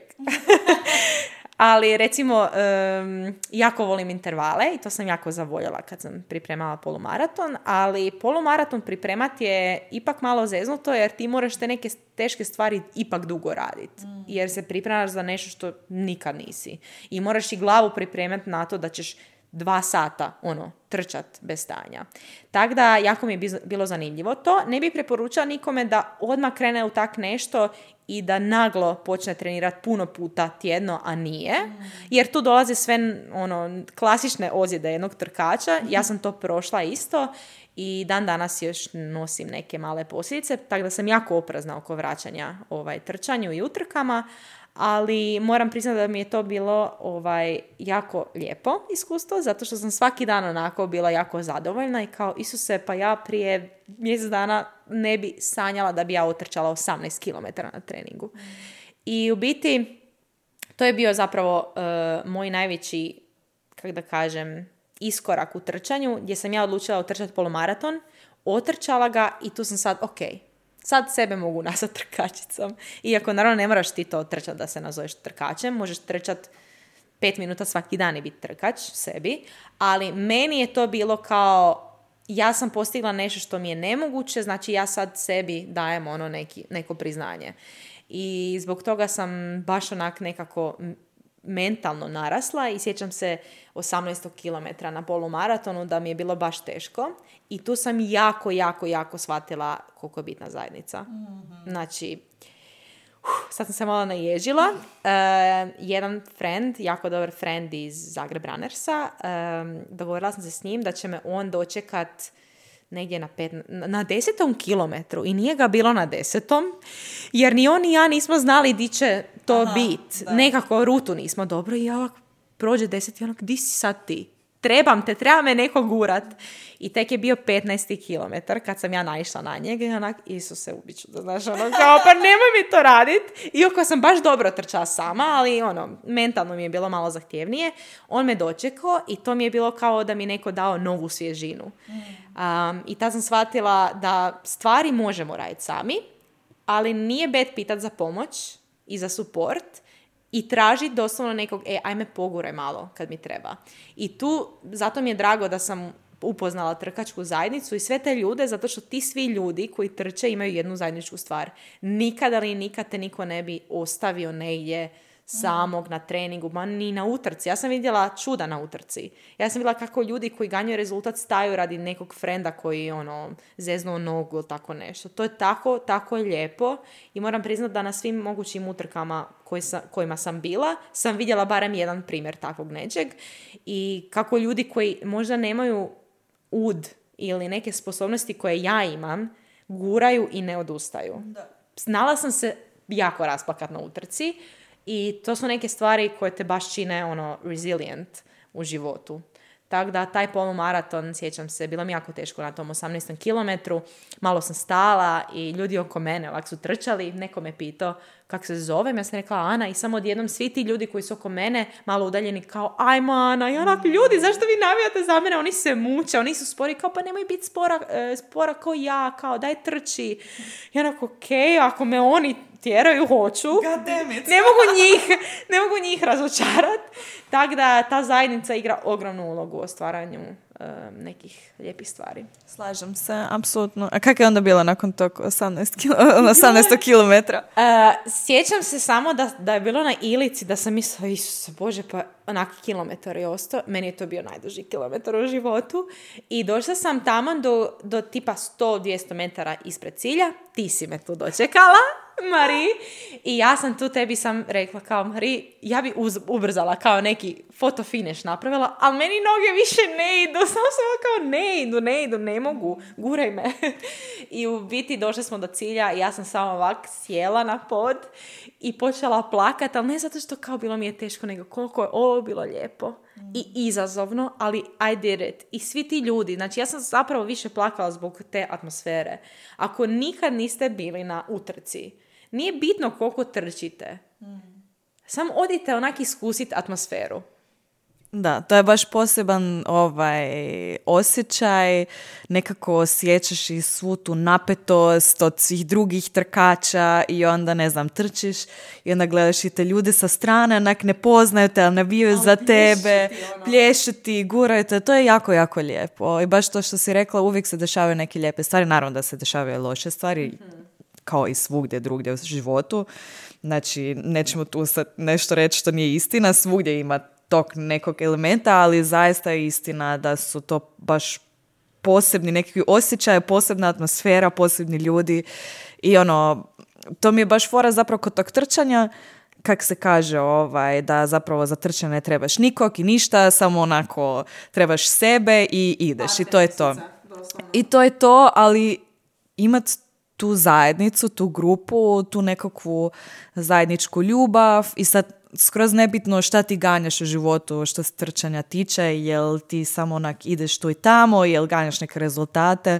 Ali recimo, um, jako volim intervale i to sam jako zavoljela kad sam pripremala polumaraton, ali polumaraton pripremati je ipak malo zeznuto jer ti moraš te neke teške stvari ipak dugo raditi. Mm. Jer se pripremaš za nešto što nikad nisi. I moraš i glavu pripremati na to da ćeš dva sata ono, trčat bez stanja. Tako da, jako mi je bilo zanimljivo to. Ne bih preporučala nikome da odmah krene u tak nešto i da naglo počne trenirati puno puta tjedno, a nije. Jer tu dolaze sve ono, klasične ozljede jednog trkača. Ja sam to prošla isto i dan danas još nosim neke male posljedice. Tako da sam jako oprezna oko vraćanja ovaj, trčanju i utrkama. Ali moram priznati da mi je to bilo ovaj, jako lijepo iskustvo, zato što sam svaki dan onako bila jako zadovoljna i kao, Isuse, pa ja prije mjesec dana ne bi sanjala da bi ja otrčala osamnaest kilometara na treningu. Mm. I u biti, to je bio zapravo uh, moj najveći, kako da kažem, iskorak u trčanju, gdje sam ja odlučila otrčati polumaraton, otrčala ga i tu sam sad, ok, sad sebe mogu nazvati trkačicom. Iako naravno ne moraš ti to trčati da se nazoveš trkačem, možeš trčati pet minuta svaki dan i biti trkač sebi, ali meni je to bilo kao, ja sam postigla nešto što mi je nemoguće, znači ja sad sebi dajem ono neki, neko priznanje. I zbog toga sam baš onak nekako mentalno narasla i sjećam se osamnaest kilometara na polumaratonu da mi je bilo baš teško i tu sam jako, jako, jako shvatila koliko je bitna zajednica. Mm-hmm. Znači, uh, sad sam se malo naježila. Uh, jedan friend, jako dobar friend iz Zagreb Runnersa, um, dogovorila sam se s njim da će me on dočekat negdje na, pet, na desetom kilometru i nije ga bilo na desetom, jer ni on ni ja nismo znali di će to biti. Nekako rutu nismo dobro i ja ovako prođe deset i onak, di si sad ti? Trebam te, treba me neko gurat. I tek je bio petnaesti kilometar kad sam ja naišla na njega i onak, Isuse, ubit ću da, znaš, ono, kao, pa nemoj mi to radit. Iako sam baš dobro trčala sama, ali ono, mentalno mi je bilo malo zahtjevnije. On me dočekao i to mi je bilo kao da mi neko dao novu svježinu. Um, I tad sam shvatila da stvari možemo raditi sami, ali nije bed pitat za pomoć i za support, i tražiti doslovno nekog, e, ajme poguraj malo kad mi treba. I tu, zato mi je drago da sam upoznala trkačku zajednicu i sve te ljude, zato što ti svi ljudi koji trče imaju jednu zajedničku stvar. Nikada li nikad te niko ne bi ostavio negdje samog na treningu, ma ni na utrci. Ja sam vidjela čuda na utrci. Ja sam vidjela kako ljudi koji ganjaju rezultat staju radi nekog frenda koji ono, zeznuo nogu ili tako nešto. To je tako, tako lijepo i moram priznati da na svim mogućim utrkama koji sam, kojima sam bila, sam vidjela barem jedan primjer takvog nečeg i kako ljudi koji možda nemaju ud ili neke sposobnosti koje ja imam, guraju i ne odustaju. Da. Znala sam se jako rasplakat na utrci, i to su neke stvari koje te baš čine ono, resilient u životu. Tako da taj polumaraton, sjećam se, bilo mi jako teško na tom osamnaestom kilometru. Malo sam stala i ljudi oko mene ovak su trčali. Neko me pitao kako se zovem. Ja sam rekla Ana i samo odjednom svi ti ljudi koji su oko mene malo udaljeni kao ajmo Ana. I onak, ljudi, zašto vi navijate za mene? Oni se muče, oni su spori. Kao pa nemoj biti spora, spora kao ja, kao daj trči. I onak, okej, ako me oni tjeraju, hoću. Ne mogu njih, ne mogu njih razočarat. Tako da ta zajednica igra ogromnu ulogu u stvaranju uh, nekih lijepih stvari.
Slažem se, apsolutno. A kako je onda bilo nakon tog osamnaestog kilometra?
Uh, sjećam se samo da, da je bilo na Ilici, da sam mislila, Isuse Bože, pa onak kilometar je ostao. Meni je to bio najduži kilometar u životu. I došla sam tamo do, do tipa sto do dvjesto metara ispred cilja. Ti si me tu dočekala, Mari, i ja sam tu tebi sam rekla kao, Mari, ja bi uz, ubrzala kao neki fotofiniš napravila, ali meni noge više ne idu, samo sam kao ne idu, ne idu, ne mogu, guraj me. I u biti došli smo do cilja i ja sam samo ovak sjela na pod i počela plakati, ali ne zato što kao bilo mi je teško, nego koliko je ovo bilo lijepo i izazovno, ali I did it. I svi ti ljudi, znači ja sam zapravo više plakala zbog te atmosfere. Ako nikad niste bili na utrci, nije bitno koliko trčite. Mm. Samo odite onak iskusiti atmosferu.
Da, to je baš poseban ovaj osjećaj, nekako osjećaš i svu tu napetost od svih drugih trkača i onda, ne znam, trčiš i onda gledaš i te ljude sa strane, onak ne poznaju te, ali nabijaju za tebe, ono. Plješu ti, guraju te, to je jako, jako lijepo. I baš to što si rekla, uvijek se dešavaju neke lijepe stvari, naravno da se dešavaju loše stvari, mm-hmm. kao i svugdje drugdje u životu. Znači, nećemo tu sad nešto reći što nije istina, svugdje ima tog nekog elementa, ali zaista je istina da su to baš posebni neki osjećaje, posebna atmosfera, posebni ljudi i ono, to mi je baš fora zapravo kod tog trčanja, kak se kaže, ovaj, da zapravo za trčanje ne trebaš nikog i ništa, samo onako trebaš sebe i ideš i to je to. I to je to, ali imat tu zajednicu, tu grupu, tu nekakvu zajedničku ljubav i sad skroz nebitno šta ti ganjaš u životu što se trčanja tiče, jel ti samo onak ideš tu i tamo, jel ganjaš neke rezultate,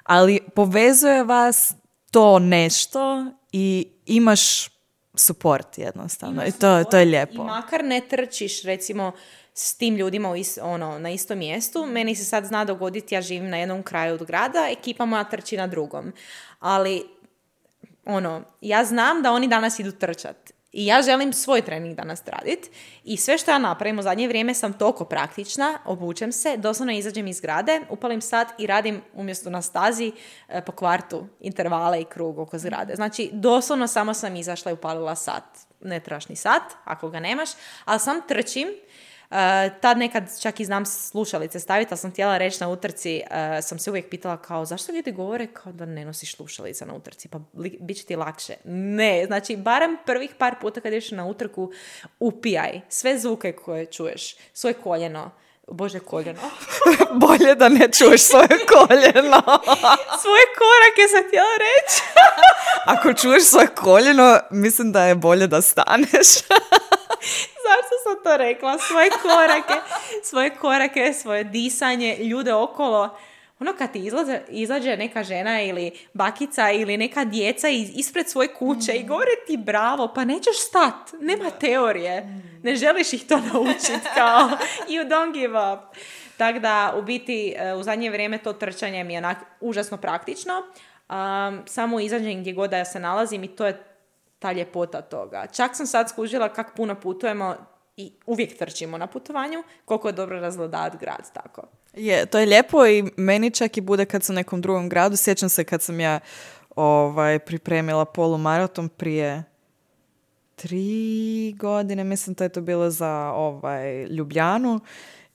ali povezuje vas to nešto i imaš support jednostavno. I to, to je lijepo.
I makar ne trčiš recimo s tim ljudima u is, ono, na istom mjestu, meni se sad zna dogoditi, ja živim na jednom kraju od grada, ekipa moja trči na drugom. Ali ono, ja znam da oni danas idu trčat. I ja želim svoj trening danas raditi i sve što ja napravim u zadnje vrijeme sam toliko praktična, obučem se, doslovno izađem iz zgrade, upalim sat i radim umjesto na stazi e, po kvartu intervale i krug oko zgrade. Znači, doslovno samo sam izašla i upalila sat. Ne trebaš ni sat, ako ga nemaš, ali sam trčim. Uh, tad nekad čak i znam slušalice staviti, ali sam htjela reći na utrci, uh, sam se uvijek pitala kao zašto ljudi govore kao da ne nosiš slušalice na utrci, pa li, bit će ti lakše. Ne, znači barem prvih par puta kad ješ na utrku upijaj sve zvuke koje čuješ, svoje koljeno, Bože, koljeno.
Bolje da ne čuješ svoje koljeno.
Svoje korake sam htjela reći.
Ako čuješ svoje koljeno, mislim da je bolje da staneš.
Zašto sam to rekla? Svoje korake, svoje korake, svoje disanje, ljude okolo. Ono kad ti izlaze, izađe neka žena ili bakica ili neka djeca iz, ispred svoje kuće mm. i govore ti bravo, pa nećeš stat, nema teorije. Mm. Ne želiš ih to naučiti kao you don't give up. Tako da, u biti, u zadnje vrijeme to trčanje mi je onak užasno praktično. Um, samo izađem gdje god da ja se nalazim i to je ta ljepota toga. Čak sam sad skužila kako puno putujemo i uvijek trčimo na putovanju, koliko je dobro razgledati grad tako.
Je, to je lijepo i meni čak i bude kad sam u nekom drugom gradu. Sjećam se kad sam ja ovaj, pripremila polumaraton prije tri godine, mislim da je to bilo za ovaj, Ljubljanu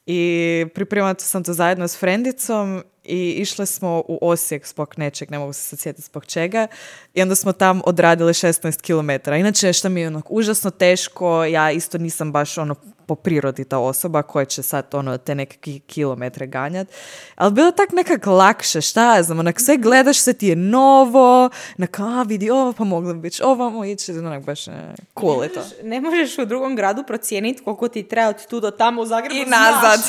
i pripremala sam to zajedno s frendicom i išli smo u Osijek zbog nečeg, ne mogu se sad sjetiti zbog čega, i onda smo tam odradili šesnaest kilometara. Inače, što mi je ono, užasno teško, ja isto nisam baš ono po prirodi ta osoba koja će sad ono te neke kilometre ganjati, ali bilo tak nekak lakše, šta ja znam, onak sve gledaš, sve ti je novo, onak, a vidi ovo, pa moglo bi biti ovamo ići, onak baš ne, cool je to.
Ne možeš u drugom gradu procijeniti koliko ti treba od tu do tamo, u Zagrebu
i nazad.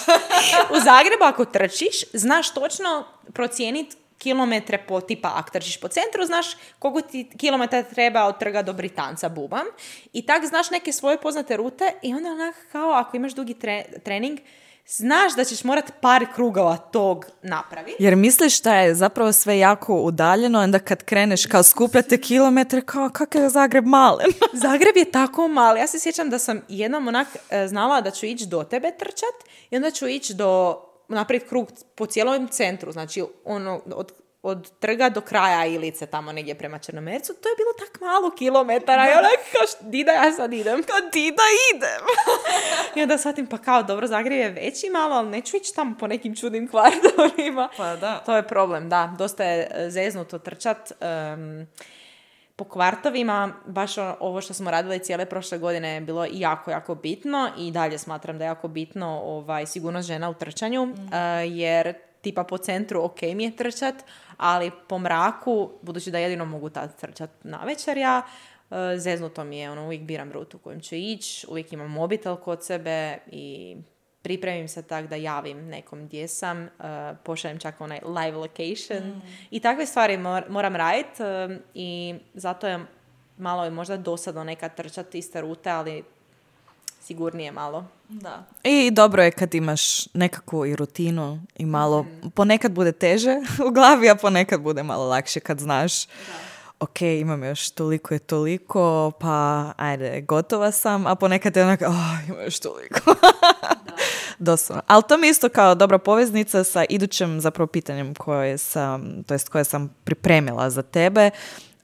U Zagrebu ako trčiš, znaš točno procijeniti kilometre po tipa, ako trčiš po centru, znaš koliko ti kilometra treba od Trga do Britanca, bubam. I tak znaš neke svoje poznate rute i onda onak kao ako imaš dugi tre- trening, znaš da ćeš morat par krugova tog napraviti.
Jer misliš da je zapravo sve jako udaljeno, onda kad kreneš kao skupljate kilometre, kao kakav je Zagreb malen.
Zagreb je tako mali. Ja se sjećam da sam jednom onak znala da ću ići do tebe trčat i onda ću ići do naprijed krug po cijelom centru, znači ono, od, od Trga do kraja Ilice, tamo negdje prema Črnomercu, to je bilo tak malo kilometara i onak kao, di da ja sad idem?
Kao, di da idem?
I onda shvatim, pa kao, dobro, Zagreb je veći malo, ali neću ići tamo po nekim čudnim kvartovima.
Pa da.
To je problem, da. Dosta je zeznuto trčat. Um, po kvartovima, baš ovo što smo radili cijele prošle godine je bilo jako, jako bitno i dalje smatram da je jako bitno ovaj, sigurnost žena u trčanju, mm. uh, jer tipa po centru ok mi je trčat, ali po mraku, budući da jedino mogu tad trčat na večer ja, uh, zeznuto mi je, ono, uvijek biram rutu kojim ću ići, uvijek imam mobitel kod sebe i pripremim se tak da javim nekom gdje sam, uh, pošaljem čak onaj live location mm. i takve stvari mor- moram raditi uh, i zato je malo je možda dosadno nekad trčati iste rute, ali sigurnije malo.
Da. I dobro je kad imaš nekakvu i rutinu i malo, mm. ponekad bude teže u glavi, a ponekad bude malo lakše kad znaš da. Ok, imam još toliko i toliko, pa ajde, gotova sam, a ponekad je onako, oh, imam još toliko. Doslovno. Ali to mi isto kao dobra poveznica sa idućim zapravo pitanjem koje sam, to jest koje sam pripremila za tebe,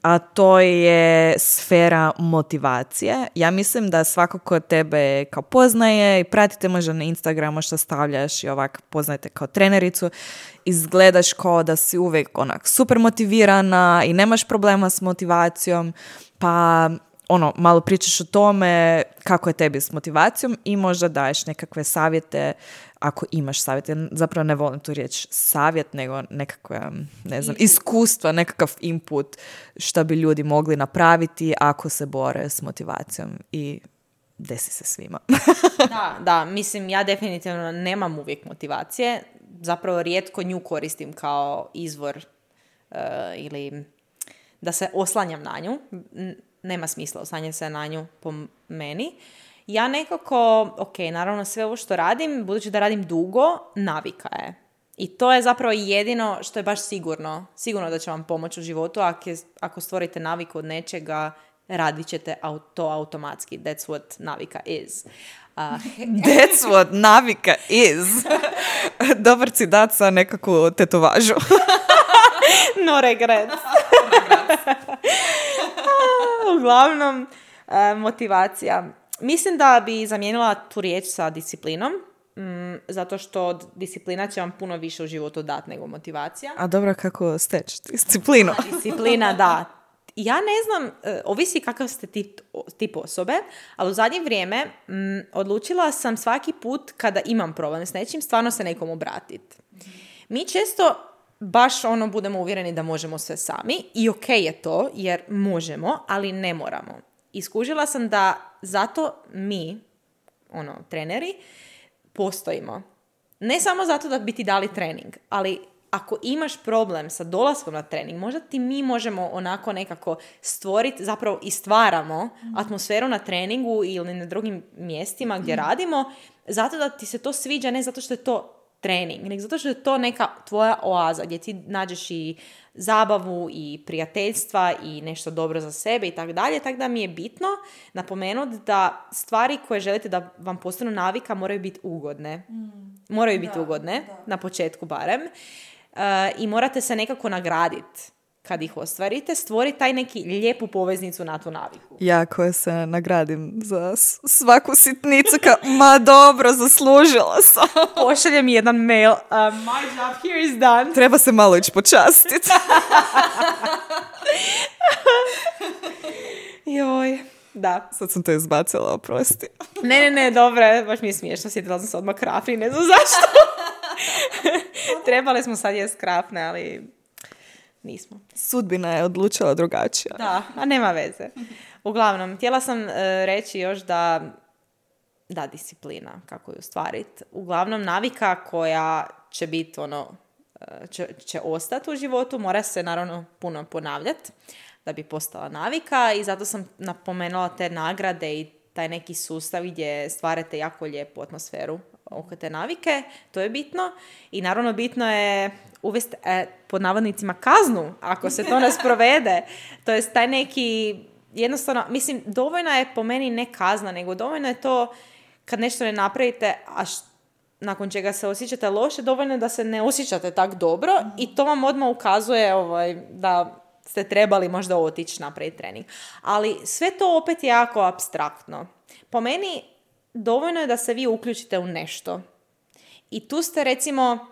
a to je sfera motivacije. Ja mislim da svako ko tebe kao poznaje i pratite možda na Instagramu što stavljaš i ovak poznajete kao trenericu, izgledaš kao da si uvijek onak super motivirana i nemaš problema s motivacijom, pa ono, malo pričaš o tome kako je tebi s motivacijom i možda daješ nekakve savjete ako imaš savjete. Zapravo ne volim tu riječ savjet, nego nekakve, ne znam, iskustva, nekakav input što bi ljudi mogli napraviti ako se bore s motivacijom i desi se svima.
da, da, mislim, ja definitivno nemam uvijek motivacije. Zapravo rijetko nju koristim kao izvor uh, ili da se oslanjam na nju. Nema smisla oslanjati se na nju po meni. Ja nekako, ok, naravno sve ovo što radim, budući da radim dugo, navika je. I to je zapravo jedino što je baš sigurno. Sigurno da će vam pomoći u životu. Ako, je, ako stvorite naviku od nečega, radit ćete to automatski. That's what navika is. Uh,
That's what navika is. Dobar citat sa nekakvu tetovažu.
No regret. Uglavnom, uh, motivacija. Mislim da bi zamijenila tu riječ sa disciplinom, mm, zato što disciplina će vam puno više u životu dati nego motivacija.
A dobro, kako steći disciplinu?
Disciplina, da. Ja ne znam, uh, ovisi kakav ste tip uh, tip osobe, ali u zadnje vrijeme m, odlučila sam svaki put kada imam problem s nečim, stvarno se nekom obratiti. Mi često baš ono budemo uvjereni da možemo sve sami i ok je to jer možemo, ali ne moramo. Iskužila sam da zato mi, ono, treneri, postojimo. Ne samo zato da bi ti dali trening, ali ako imaš problem sa dolaskom na trening, možda ti mi možemo onako nekako stvoriti, zapravo i stvaramo mm. atmosferu na treningu ili na drugim mjestima gdje mm. radimo, zato da ti se to sviđa, ne zato što je to trening, nego zato što je to neka tvoja oaza gdje ti nađeš i zabavu i prijateljstva i nešto dobro za sebe i tako dalje. Tako da mi je bitno napomenuti da stvari koje želite da vam postanu navika moraju biti ugodne. Mm. Moraju biti da, ugodne, da. Na početku barem. Uh, I morate se nekako nagraditi kad ih ostvarite, stvori taj neki lijepu poveznicu na tu naviku.
Ja koja se nagradim za svaku sitnicu, ka, ma dobro, zaslužila sam.
Pošalje mi jedan mail, uh, my job here is done.
Treba se malo ići počastiti.
Joj, da.
Sad sam to izbacila, oprosti.
Ne, ne, ne, dobro, baš mi je smiješno, sjetila sam se odmah krafni, ne znam zašto. Trebali smo sad jest krafne, ali nismo.
Sudbina je odlučila drugačije.
Da, a nema veze. Uglavnom, htjela sam uh, reći još da, da, disciplina, kako ju ostvariti. Uglavnom, navika koja će biti, ono, će, će ostati u životu, mora se naravno puno ponavljati da bi postala navika i zato sam napomenula te nagrade i taj neki sustav gdje stvarate jako lijepu atmosferu oko te navike, to je bitno. I naravno bitno je uvesti e, pod navodnicima kaznu ako se to ne sprovede. To je taj neki, jednostavno, mislim, dovoljno je po meni ne kazna, nego dovoljno je to kad nešto ne napravite, a š, nakon čega se osjećate loše, dovoljno je da se ne osjećate tak dobro mm. i to vam odmah ukazuje ovaj, da ste trebali možda otići napraviti trening. Ali sve to opet je jako apstraktno. Po meni dovoljno je da se vi uključite u nešto. I tu ste recimo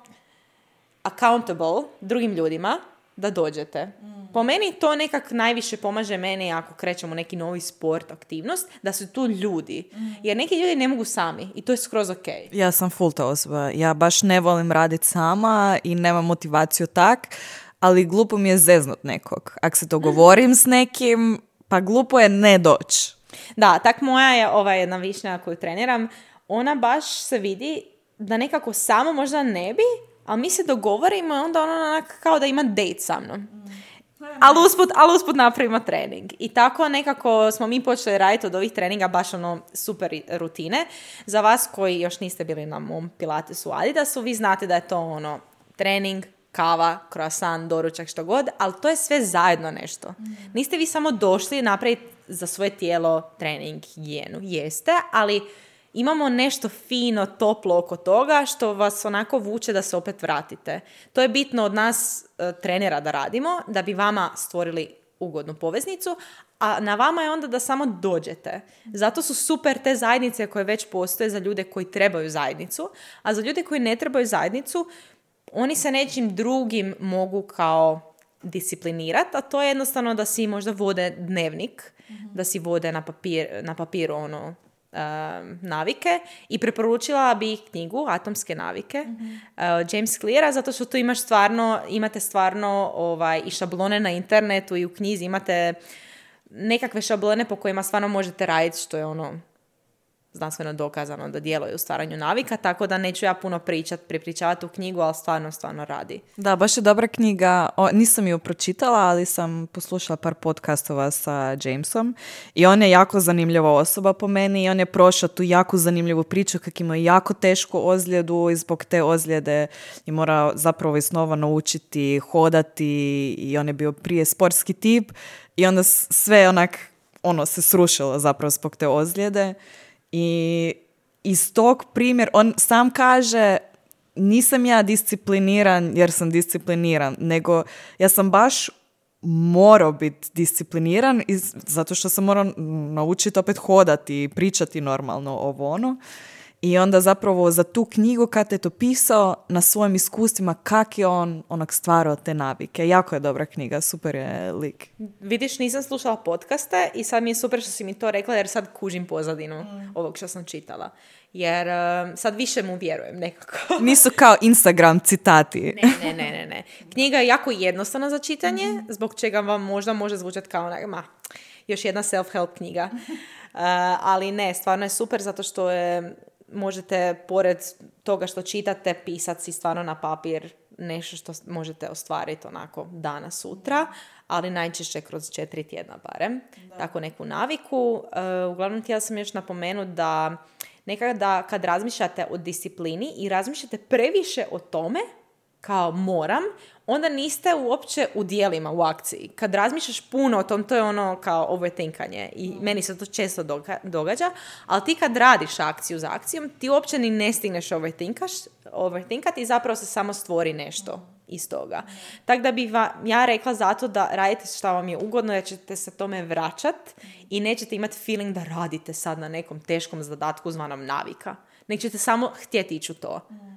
accountable drugim ljudima da dođete. Mm. Po meni to nekak najviše pomaže meni ako krećemo neki novi sport, aktivnost, da su tu ljudi. Mm. Jer neki ljudi ne mogu sami i to je skroz ok.
Ja sam full ta osoba. Ja baš ne volim raditi sama i nemam motivaciju tak, ali glupo mi je zeznut nekog. Ako se to govorim s nekim, pa glupo je ne doći.
Da, tak moja je ova jedna višnja koju treniram, ona baš se vidi da nekako samo možda ne bi, ali mi se dogovorimo i onda ona onak kao da ima date sa mnom. Mm. Ali usput, ali usput napravimo trening. I tako nekako smo mi počeli raditi od ovih treninga baš ono super rutine. Za vas koji još niste bili na mom Pilatesu Adidasu, vi znate da je to ono trening, kava, croissant, doručak, što god, ali to je sve zajedno nešto. Mm. Niste vi samo došli napraviti za svoje tijelo trening, higijenu. Jeste, ali imamo nešto fino, toplo oko toga što vas onako vuče da se opet vratite. To je bitno od nas e, trenera da radimo, da bi vama stvorili ugodnu poveznicu, a na vama je onda da samo dođete. Zato su super te zajednice koje već postoje za ljude koji trebaju zajednicu, a za ljude koji ne trebaju zajednicu, oni se nečim drugim mogu kao disciplinirati, a to je jednostavno da si možda vode dnevnik, mm-hmm. da si vode na, papir, na papiru ono, um, navike i preporučila bi knjigu Atomske navike mm-hmm. uh, James Cleara, zato što tu imaš stvarno, imate stvarno ovaj, i šablone na internetu i u knjizi imate nekakve šablone po kojima stvarno možete raditi, što je ono znanstveno dokazano da djeluje u stvaranju navika, tako da neću ja puno pričati, prepričavati u knjigu, ali stvarno, stvarno radi.
Da, baš je dobra knjiga. O, nisam ju pročitala, ali sam poslušala par podcastova sa Jamesom i on je jako zanimljiva osoba po meni i on je prošao tu jako zanimljivu priču kako imao jako tešku ozljedu i zbog te ozljede je morao zapravo iznova naučiti hodati i on je bio prije sportski tip i onda sve onak ono se srušilo zapravo zbog te ozljede. I iz tog primjer, on sam kaže, nisam ja discipliniran jer sam discipliniran, nego ja sam baš morao biti discipliniran iz, zato što sam morao naučiti opet hodati i pričati normalno ovo ono. I onda zapravo za tu knjigu kad je to pisao na svojim iskustvima kak je on onak stvarao te navike. Jako je dobra knjiga, super je lik.
Vidiš, nisam slušala podcaste i sad mi je super što si mi to rekla jer sad kužim pozadinu mm. ovog što sam čitala. Jer uh, sad više mu vjerujem nekako.
Nisu kao Instagram citati.
Ne, ne, ne, ne, ne. Knjiga je jako jednostavna za čitanje, mm. zbog čega vam možda može zvučati kao onak, ma, još jedna self-help knjiga. Uh, ali ne, stvarno je super zato što je, možete pored toga što čitate pisati si stvarno na papir nešto što možete ostvariti onako danas, sutra, ali najčešće kroz četiri tjedna barem. Da. Tako neku naviku. Uh, uglavnom htjela sam još napomenuti da nekada kad razmišljate o disciplini i razmišljate previše o tome kao moram, onda niste uopće u dijelima, u akciji. Kad razmišljaš puno o tom, to je ono kao overthinkanje i mm. meni se to često doga- događa, ali ti kad radiš akciju za akcijom, ti uopće ni ne stigneš overthinkati i zapravo se samo stvori nešto mm. iz toga. Mm. Tako da bih va, ja rekla zato da radite što vam je ugodno, da ćete se tome vraćat mm. i nećete imati feeling da radite sad na nekom teškom zadatku zvanom navika. Nek ćete samo htjeti ići u to. Mm.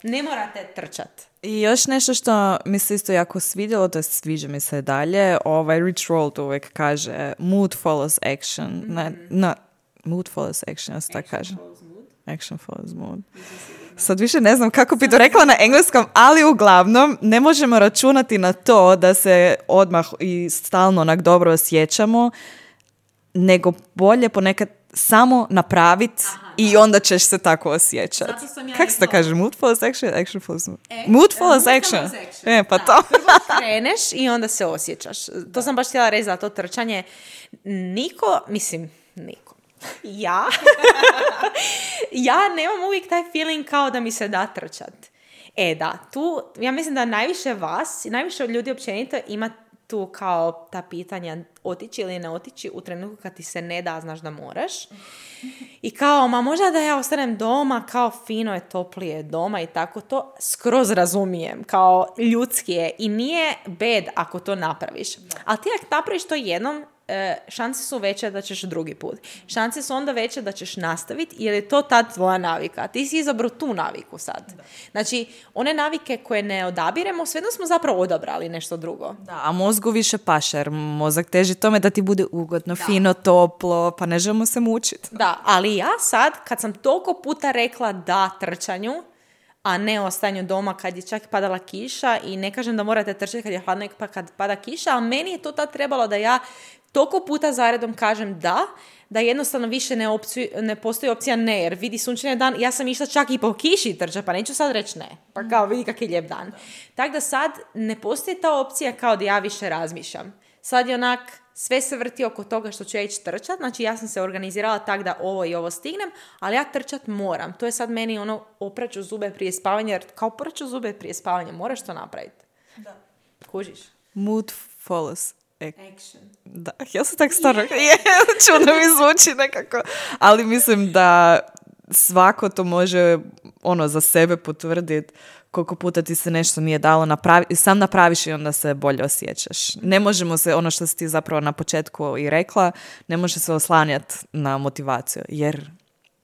Ne morate trčati.
I još nešto što mi se isto jako svidjelo, to je sviđa mi se dalje, ovaj Rich Roll uvijek kaže mood follows action. Mm-hmm. Ne, no, mood follows action, ja se tako kaže. Action follows mood. Sad više ne znam kako bi to rekla na engleskom, ali uglavnom ne možemo računati na to da se odmah i stalno onak dobro osjećamo, nego bolje ponekad samo napraviti i onda ćeš se tako osjećati. Ja kako se to kaže? Mood follows action, action follows mood. E, mood follows action. action. E, pa da, to.
Prvo kreneš i onda se osjećaš. To da. sam baš htjela reći za to trčanje. Niko, mislim, niko. Ja, ja nemam uvijek taj feeling kao da mi se da trčat. E da, tu, ja mislim da najviše vas, najviše ljudi općenito ima tu kao ta pitanja otići ili ne otići u trenutku kad ti se ne da, znaš da moraš. I kao, ma možda da ja ostanem doma, kao fino je, toplije doma i tako, to skroz razumijem, kao ljudski je i nije bad ako to napraviš. Ali ti ako napraviš to jednom, šanse su veće da ćeš drugi put. Šanse su onda veće da ćeš nastaviti jer je to tad tvoja navika. Ti si izabrao tu naviku sad. Da. Znači, one navike koje ne odabiremo, svejedno smo zapravo odabrali nešto drugo.
Da, a mozgu više paše, jer mozak teži tome da ti bude ugodno, da. fino, toplo, pa ne želimo se mučiti.
Da, ali ja sad, kad sam toliko puta rekla da trčanju, a ne ostanju doma kad je čak padala kiša i ne kažem da morate trčati kad je hladno pa kad pada kiša, ali meni je to tad trebalo da ja toliko puta zaredom kažem da, da jednostavno više ne, opciju, ne postoji opcija ne, jer vidi sunčani dan, ja sam išla čak i po kiši trča, pa neću sad reći ne, pa kao vidi kak je lijep dan. Tako da sad ne postoji ta opcija kao da ja više razmišljam. Sad je onak, sve se vrti oko toga što ću ja ići trčat, znači ja sam se organizirala tak da ovo i ovo stignem, ali ja trčat moram. To je sad meni ono opraću zube prije spavanja, jer kao opraću zube prije spavanja, moraš to napraviti. Da. Kužiš?
Mood follows
action.
Da, ja sam tak stvarno, yeah. čudno mi zvuči nekako, ali mislim da svako to može ono za sebe potvrditi koliko puta ti se nešto nije dalo napraviti, sam napraviš i onda se bolje osjećaš. Ne možemo se, ono što si ti zapravo na početku i rekla, ne može se oslanjati na motivaciju, jer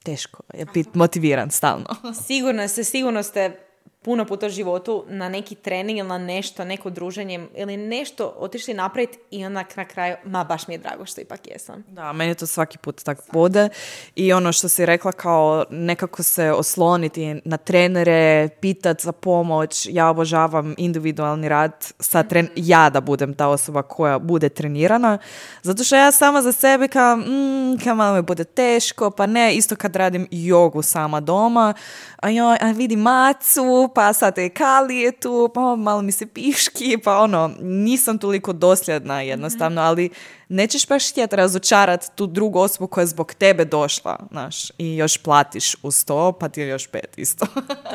teško je biti motiviran stalno.
Sigurno ste, sigurno ste puno puta u životu na neki trening ili na nešto, neko druženje ili nešto otišli napraviti i onda na kraju, ma baš mi je drago što ipak jesam.
Da, meni to svaki put tako bude i ono što si rekla kao nekako se osloniti na trenere, pitati za pomoć, ja obožavam individualni rad sa tren- mm-hmm. ja da budem ta osoba koja bude trenirana, zato što ja sama za sebe kao, mm, kao malo mi bude teško, pa ne, isto kad radim jogu sama doma, a joj, a vidi macu, pa sad je Kali je tu, pa malo mi se piški, pa ono, nisam toliko dosljedna jednostavno, ali nećeš baš htjeti razočarati tu drugu osobu koja je zbog tebe došla, znaš, i još platiš uz to, pa ti je još pet isto.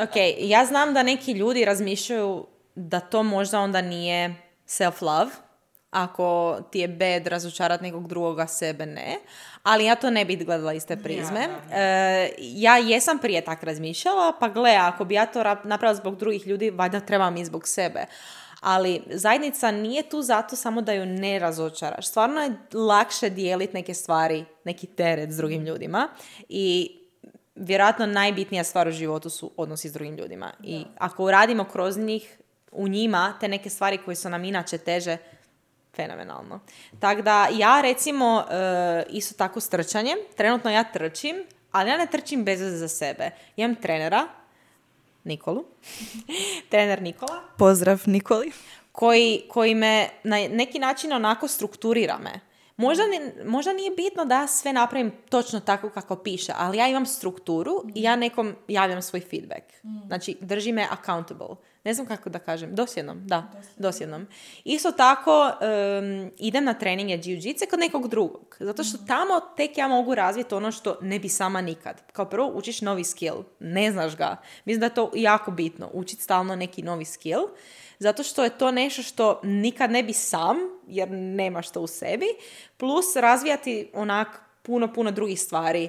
Ok, ja znam da neki ljudi razmišljaju da to možda onda nije self-love, ako ti je bad razočarati nekog drugoga, sebe ne. Ali ja to ne bih gledala iz te prizme. Ja, da, da. E, ja jesam prije tak razmišljala, pa gle, ako bi ja to napravila zbog drugih ljudi, valjda trebam i zbog sebe. Ali zajednica nije tu zato samo da ju ne razočaraš. Stvarno je lakše dijeliti neke stvari, neki teret s drugim ljudima. I vjerojatno najbitnija stvar u životu su odnosi s drugim ljudima. Da. I ako uradimo kroz njih, u njima, te neke stvari koje su nam inače teže, fenomenalno. Tako da ja recimo e, isto tako s trčanjem, trenutno ja trčim, ali ja ne trčim bez veze za sebe. Ja imam trenera, Nikolu, trener Nikola.
Pozdrav Nikoli.
Koji, koji me na neki način onako strukturira me. Možda, možda nije bitno da ja sve napravim točno tako kako piše, ali ja imam strukturu i ja nekom javljam svoj feedback. Znači, drži me accountable. Ne znam kako da kažem. Dosljednom, da. Dosljednom. Isto tako, um, idem na treninge jiu-jitsu kod nekog drugog. Zato što tamo tek ja mogu razviti ono što ne bi sama nikad. Kao prvo, učiš novi skill. Ne znaš ga. Mislim da je to jako bitno. Učiti stalno neki novi skill. Zato što je to nešto što nikad ne bi sam, jer nemaš to u sebi, plus razvijati onak puno, puno drugih stvari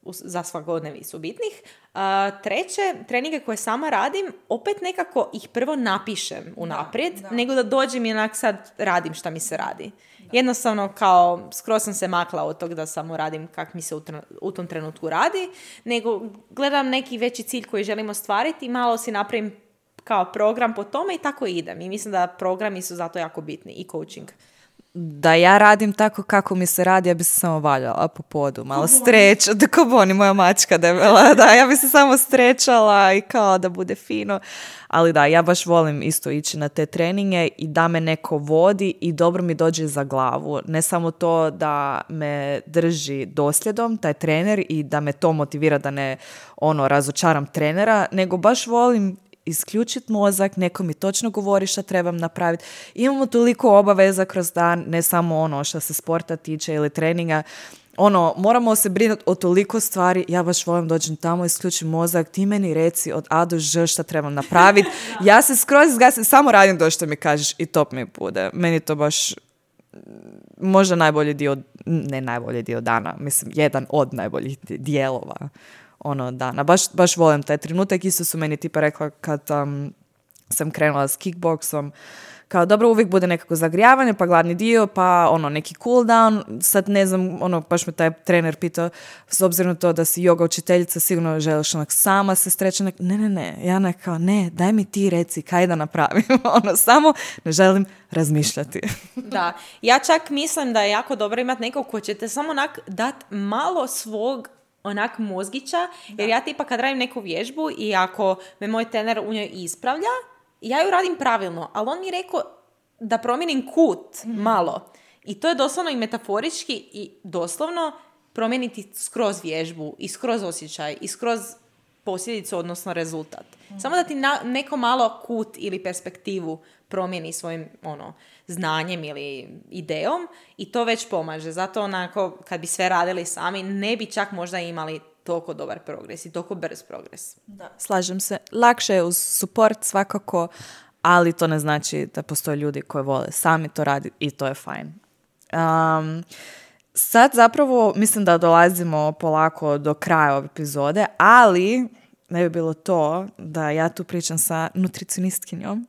za svakodnevicu bitnih. Uh, treće, treninge koje sama radim, opet nekako ih prvo napišem unaprijed, da, da. nego da dođem i onak sad radim šta mi se radi. Da. Jednostavno kao skroz sam se makla od tog da samo radim kak mi se u, tr- u tom trenutku radi, nego gledam neki veći cilj koji želim ostvariti i malo si napravim kao program po tome i tako idem. I mislim da programi su zato jako bitni i coaching.
Da ja radim tako kako mi se radi, ja bi se samo valjala po podu, malo streč, da ko Boni, moja mačka debela, da, ja bi se samo strečala i kao da bude fino, ali da, ja baš volim isto ići na te treninge i da me neko vodi i dobro mi dođe za glavu, ne samo to da me drži dosljedom, taj trener, i da me to motivira da ne ono razočaram trenera, nego baš volim isključiti mozak, neko mi točno govori šta trebam napraviti. Imamo toliko obaveza kroz dan, ne samo ono što se sporta tiče ili treninga. Ono, moramo se brinuti o toliko stvari. Ja baš volim dođem tamo, isključim mozak, ti meni reci od A do Ž šta trebam napraviti. Ja se skroz zgasim, samo radim do što mi kažeš i top mi bude. Meni to baš možda najbolji dio, ne najbolji dio dana, mislim, jedan od najboljih dijelova ono dana. Baš, baš volim taj trenutak. Isto su meni tipa rekla kad um, sam krenula s kickboksom, kao dobro, uvijek bude nekako zagrijavanje, pa glavni dio, pa ono neki cool down. Sad ne znam, ono, baš me taj trener pitao, s obzirom na to da si yoga učiteljica, sigurno želiš onak sama se streći. Ne, ne, ne. Ja nekao, ne, daj mi ti reci kaj da napravim. ono, samo ne želim razmišljati.
Da. Ja čak mislim da je jako dobro imati nekog ko će te samo onak dati malo svog onak mozgića, jer ja tipa kad radim neku vježbu i ako me moj trener u njoj ispravlja, ja ju radim pravilno, ali on mi je rekao da promijenim kut mm. malo. I to je doslovno i metaforički i doslovno promijeniti skroz vježbu i skroz osjećaj i skroz posljedicu, odnosno rezultat. Mm. Samo da ti na, neko malo kut ili perspektivu promijeni svojim ono, znanjem ili idejom i to već pomaže. Zato onako, kad bi sve radili sami, ne bi čak možda imali toliko dobar progres i toliko brz progres.
Da. Slažem se. Lakše je uz support svakako, ali to ne znači da postoje ljudi koji vole sami to raditi i to je fajn. Um, sad zapravo mislim da dolazimo polako do kraja ove epizode, ali ne bi bilo to da ja tu pričam sa nutricionistkinjom,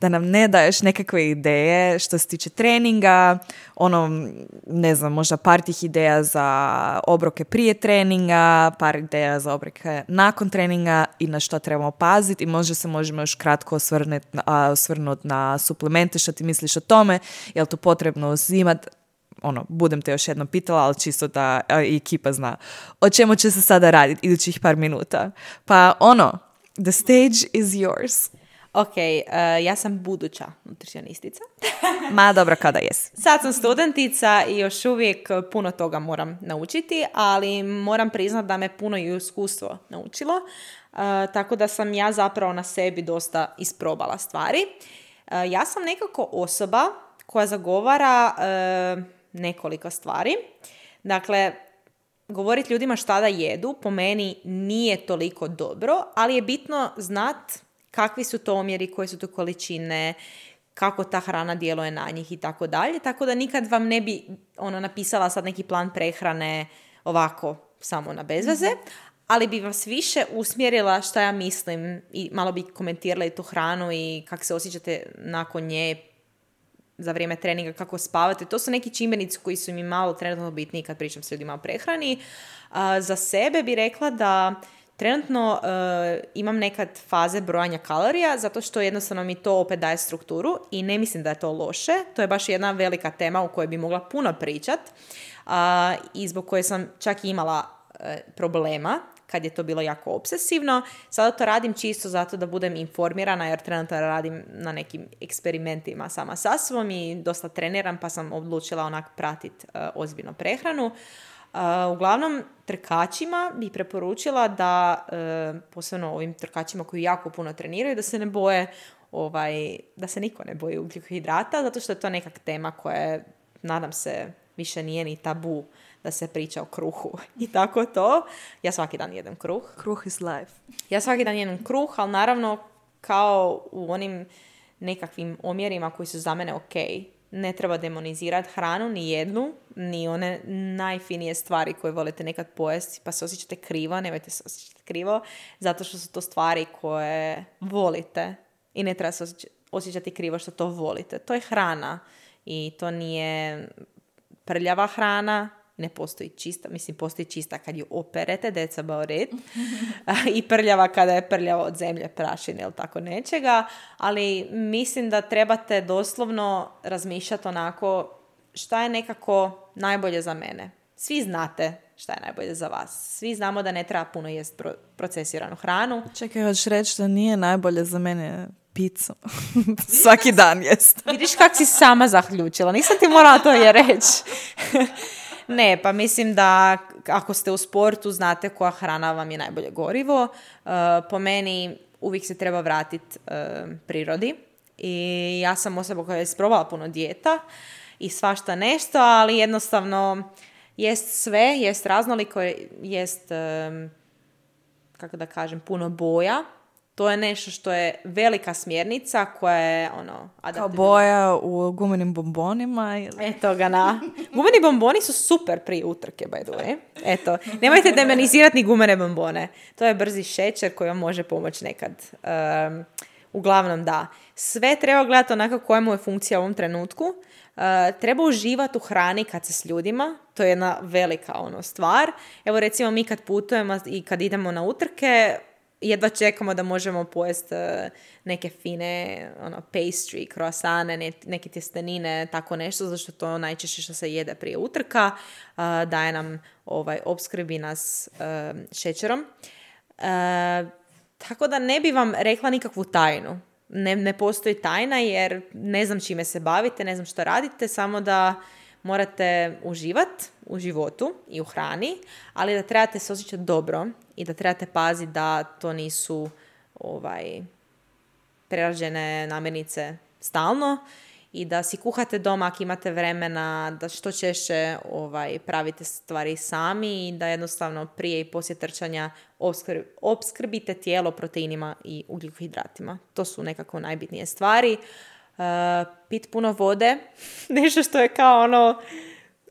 da nam ne daješ nekakve ideje što se tiče treninga, ono, ne znam, možda par tih ideja za obroke prije treninga, par ideja za obroke nakon treninga i na što trebamo paziti i možda se možemo još kratko osvrnuti na, osvrnuti na suplemente, što ti misliš o tome, je li to potrebno uzimati? Ono, budem te još jednom pitala, ali čisto da i ekipa zna o čemu će se sada raditi idućih par minuta. Pa ono, the stage is yours.
Ok, uh, ja sam buduća nutricionistica.
Ma dobro, kada jesi.
Sad sam studentica i još uvijek puno toga moram naučiti, ali moram priznati da me puno i iskustvo naučilo. Uh, tako da sam ja zapravo na sebi dosta isprobala stvari. Uh, ja sam nekako osoba koja zagovara uh, nekoliko stvari. Dakle, govoriti ljudima šta da jedu po meni nije toliko dobro, ali je bitno znati kakvi su to omjeri, koje su to količine, kako ta hrana djeluje na njih i tako dalje. Tako da nikad vam ne bi ono, napisala sad neki plan prehrane ovako samo na bezveze, ali bi vas više usmjerila šta ja mislim i malo bi komentirala i tu hranu i kako se osjećate nakon nje za vrijeme treninga, kako spavati. To su neki čimbenici koji su mi malo trenutno bitniji kad pričam s ljudima o prehrani. A, za sebe bi rekla da trenutno uh, imam nekad faze brojanja kalorija, zato što jednostavno mi to opet daje strukturu i ne mislim da je to loše. To je baš jedna velika tema u kojoj bi mogla puno pričat uh, i zbog koje sam čak imala uh, problema kad je to bilo jako obsesivno. Sada to radim čisto zato da budem informirana, jer trenutno radim na nekim eksperimentima sama sa sobom i dosta treniram, pa sam odlučila onak pratiti uh, ozbiljno prehranu. Uh, uglavnom, trkačima bi preporučila da, uh, posebno ovim trkačima koji jako puno treniraju, da se ne boje, ovaj, da se niko ne boji ugljikohidrata, zato što je to neka tema koja je, nadam se, više nije ni tabu da se priča o kruhu i tako to. Ja svaki dan jedem kruh.
Kruh is life.
Ja svaki dan jedem kruh, ali naravno kao u onim nekakvim omjerima koji su za mene ok. Ne treba demonizirati hranu, ni jednu, ni one najfinije stvari koje volite nekad pojesti, pa se osjećate krivo, nemojte se osjećati krivo, zato što su to stvari koje volite i ne treba se osjećati krivo što to volite. To je hrana i to nije prljava hrana, ne postoji čista, mislim postoji čista kad ju operete, that's about it, i prljava kada je prljava od zemlje, prašine ili tako nečega, ali mislim da trebate doslovno razmišljati onako šta je nekako najbolje za mene. Svi znate šta je najbolje za vas. Svi znamo da ne treba puno jest pro- procesiranu hranu.
Čekaj, hoćeš reći da nije najbolje za mene pizzu. Svaki dan jest.
Vidiš kak si sama zaključila. Nisam ti morala to je reći. Ne, pa mislim da ako ste u sportu, znate koja hrana vam je najbolje gorivo. Uh, po meni uvijek se treba vratiti uh, prirodi. I ja sam osoba koja je isprobala puno dijeta i svašta nešto, ali jednostavno jest sve, jest raznoliko, jest, um, kako da kažem, puno boja. To je nešto što je velika smjernica koja je ono...
Kao boja u gumenim bombonima. Ili...
Eto ga na... Gumeni bomboni su super prije utrke, by the way. Eto, nemojte demonizirati ni gumene bombone. To je brzi šećer koji vam može pomoći nekad. Um, uglavnom da. Sve treba gledati onako koja mu je funkcija u ovom trenutku. Uh, treba uživati u hrani kad se s ljudima. To je jedna velika ono stvar. Evo recimo mi kad putujemo i kad idemo na utrke, jedva čekamo da možemo pojesti uh, neke fine ono, pastry, croissane, ne, neke tjestenine, tako nešto, zato što to najčešće što se jede prije utrka, uh, daje nam ovaj, opskrbi nas uh, šećerom. Uh, tako da ne bi vam rekla nikakvu tajnu. Ne, ne postoji tajna jer ne znam čime se bavite, ne znam što radite, samo da morate uživati u životu i u hrani, ali da trebate se osjećati dobro i da trebate paziti da to nisu ovaj, prerađene namirnice stalno i da si kuhate doma ako imate vremena, da što češće ovaj, pravite stvari sami i da jednostavno prije i poslije trčanja opskrb, opskrbite tijelo proteinima i ugljikohidratima. To su nekako najbitnije stvari. Uh, pit puno vode, nešto što je kao ono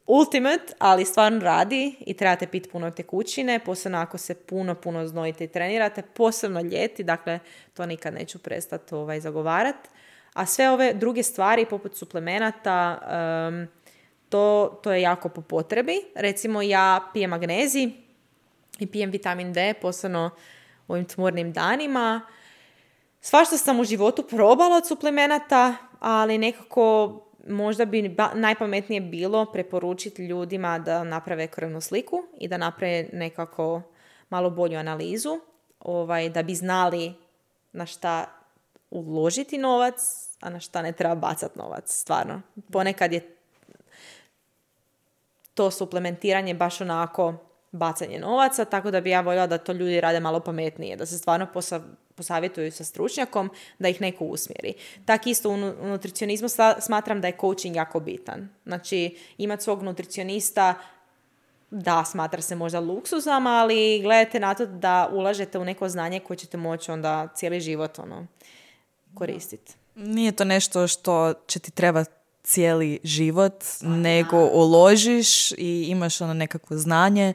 ultimate, ali stvarno radi i trebate piti puno tekućine, posebno ako se puno, puno znojite i trenirate, posebno ljeti, dakle to nikad neću prestati ovaj, zagovarati. A sve ove druge stvari poput suplemenata, um, to, to je jako po potrebi. Recimo ja pijem magnezij i pijem vitamin D, posebno u ovim tmurnim danima. Svašta sam u životu probala od suplemenata, ali nekako možda bi ba- najpametnije bilo preporučiti ljudima da naprave krvnu sliku i da naprave nekako malo bolju analizu, ovaj, da bi znali na šta uložiti novac, a na šta ne treba bacati novac, stvarno. Ponekad je to suplementiranje baš onako bacanje novaca, tako da bi ja voljela da to ljudi rade malo pametnije, da se stvarno posa- posavjetuju sa stručnjakom, da ih neko usmjeri. Tak isto u nutricionizmu smatram da je coaching jako bitan. Znači, imati svog nutricionista, da, smatra se možda luksuzom, ali gledajte na to da ulažete u neko znanje koje ćete moći onda cijeli život ono, koristiti.
Nije to nešto što će ti trebati cijeli život, nego uložiš i imaš ono nekakvo znanje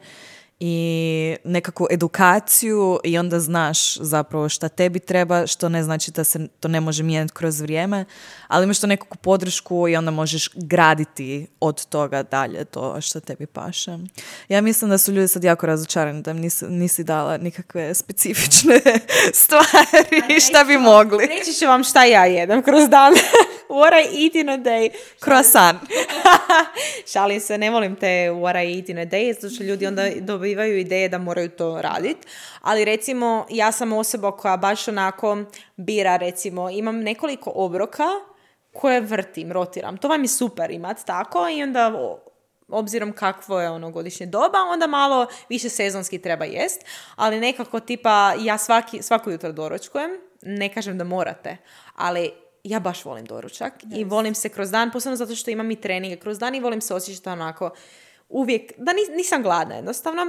i nekakvu edukaciju i onda znaš zapravo šta tebi treba, što ne znači da se to ne može mijenjati kroz vrijeme, ali imaš to nekakvu podršku i onda možeš graditi od toga dalje to što tebi paše. Ja mislim da su ljudi sad jako razočarani da im nisi, nisi dala nikakve specifične stvari šta bi mogli.
Reći ću vam šta ja jedem kroz dan. What I eat in a day.
Croissant.
Šalim se, ne volim te what I eat in a day, zato što ljudi onda dobivaju ideje da moraju to raditi. Ali recimo, ja sam osoba koja baš onako bira, recimo, imam nekoliko obroka koje vrtim, rotiram. To vam je super imati tako i onda obzirom kakvo je ono godišnje doba, onda malo više sezonski treba jest, ali nekako tipa ja svaki, svako jutro doručkujem, ne kažem da morate, ali ja baš volim doručak yes. i volim se kroz dan, posebno zato što imam i treninge kroz dan i volim se osjećati onako uvijek, da nisam gladna jednostavno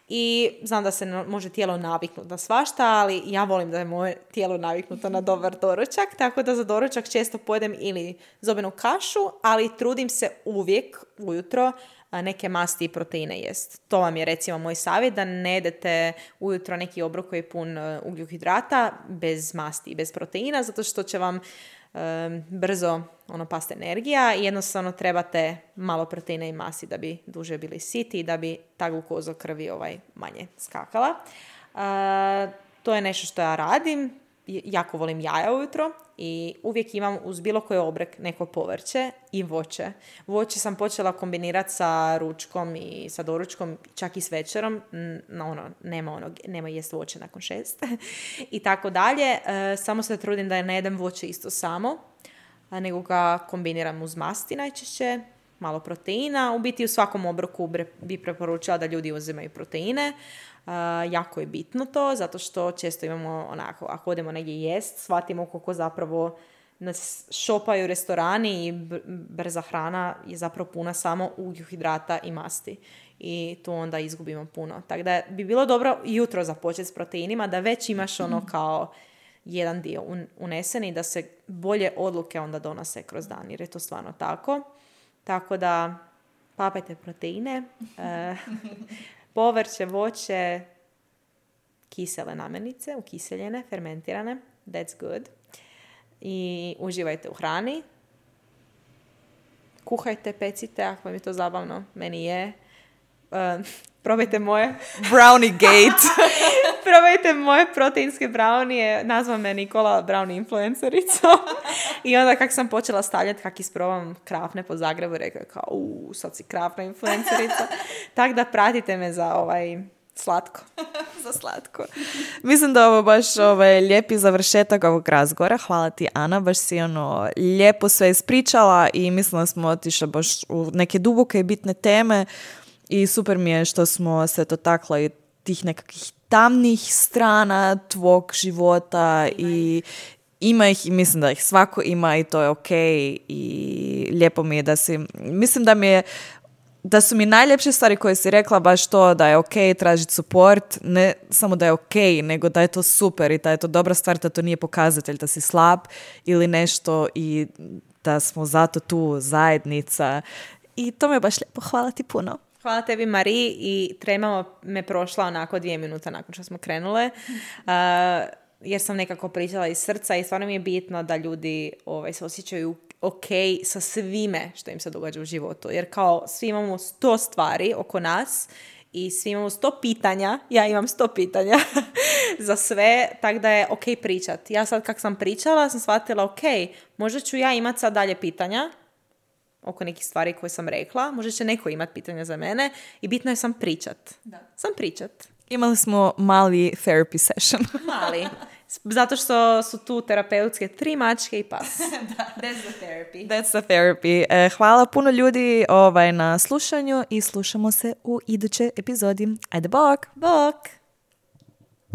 i znam da se može tijelo naviknuti na svašta, ali ja volim da je moje tijelo naviknuto na dobar doručak, tako da za doručak često pojedem ili zobenu kašu, ali trudim se uvijek ujutro neke masti i proteine jest. To vam je recimo moj savjet, da ne jedete ujutro neki obrok koji je pun ugljuhidrata bez masti i bez proteina, zato što će vam um, brzo ono pasti energija i jednostavno trebate malo proteina i masti da bi duže bili siti i da bi ta glukoza u krvi ovaj manje skakala. Uh, to je nešto što ja radim. Jako volim jaja ujutro i uvijek imam uz bilo koji obrok neko povrće i voće. Voće sam počela kombinirati sa ručkom i sa doručkom, čak i s večerom. No, ono, nema, ono, nema jest voće nakon šest. I tako dalje. E, samo se trudim da ne jedem voće isto samo, nego ga kombiniram uz masti najčešće, malo proteina. U biti u svakom obroku bi preporučila da ljudi uzimaju proteine. Uh, jako je bitno to, zato što često imamo onako, ako odemo negdje jest, shvatimo koliko zapravo nas šopaju restorani i brza hrana je zapravo puna samo ugljuhidrata i masti. I tu onda izgubimo puno. Tako da bi bilo dobro jutro započeti s proteinima, da već imaš ono kao jedan dio unesen i da se bolje odluke onda donose kroz dan, jer je to stvarno tako. Tako da papajte proteine, uh, povrće, voće, kisele namirnice, ukiseljene, fermentirane. That's good. I uživajte u hrani. Kuhajte, pecite, ako vam je to zabavno. Meni je. Uh, probajte moje.
Brownie gate.
Probajte moje proteinske brownije. Nazva me Nikola brownie influencericom. I onda kak sam počela stavljati, kak isprobam krafne po Zagrebu, rekao je kao, uuu, sad si krafna influencerica. Tako da pratite me za ovaj slatko.
Za slatko. Mislim da ovo baš ovaj, lijepi završetak ovog razgovora. Hvala ti, Ana, baš si ono lijepo sve ispričala i mislim da smo otišli baš u neke duboke i bitne teme i super mi je što smo se dotakli tih nekakvih tamnih strana tvog života i ima ih i mislim da ih svako ima i to je ok i lijepo mi je da si, mislim da mi je da su mi najljepše stvari koje si rekla baš to da je ok tražiti support, ne samo da je ok, nego da je to super i da je to dobra stvar, da to nije pokazatelj da si slab ili nešto i da smo zato tu zajednica i to me baš lijepo, hvala ti puno.
Hvala tebi, Mariji, i trema me prošla onako dvije minuta nakon što smo krenule, uh, jer sam nekako pričala iz srca i stvarno mi je bitno da ljudi ovaj, se osjećaju ok sa svime što im se događa u životu. Jer kao svi imamo sto stvari oko nas i svi imamo sto pitanja, ja imam sto pitanja za sve, tako da je ok pričat. Ja sad kak sam pričala sam shvatila ok, možda ću ja imat sad dalje pitanja oko nekih stvari koje sam rekla, možda će neko imati pitanja za mene i bitno je sam pričat. Da. Sam pričat.
Imali smo mali therapy session.
Mali. Zato što su tu terapeutske tri mačke i pas.
Da. That's the therapy. That's the therapy. E, hvala puno ljudi ovaj, na slušanju i slušamo se u idućoj epizodi. Ajde, bok!
Bok!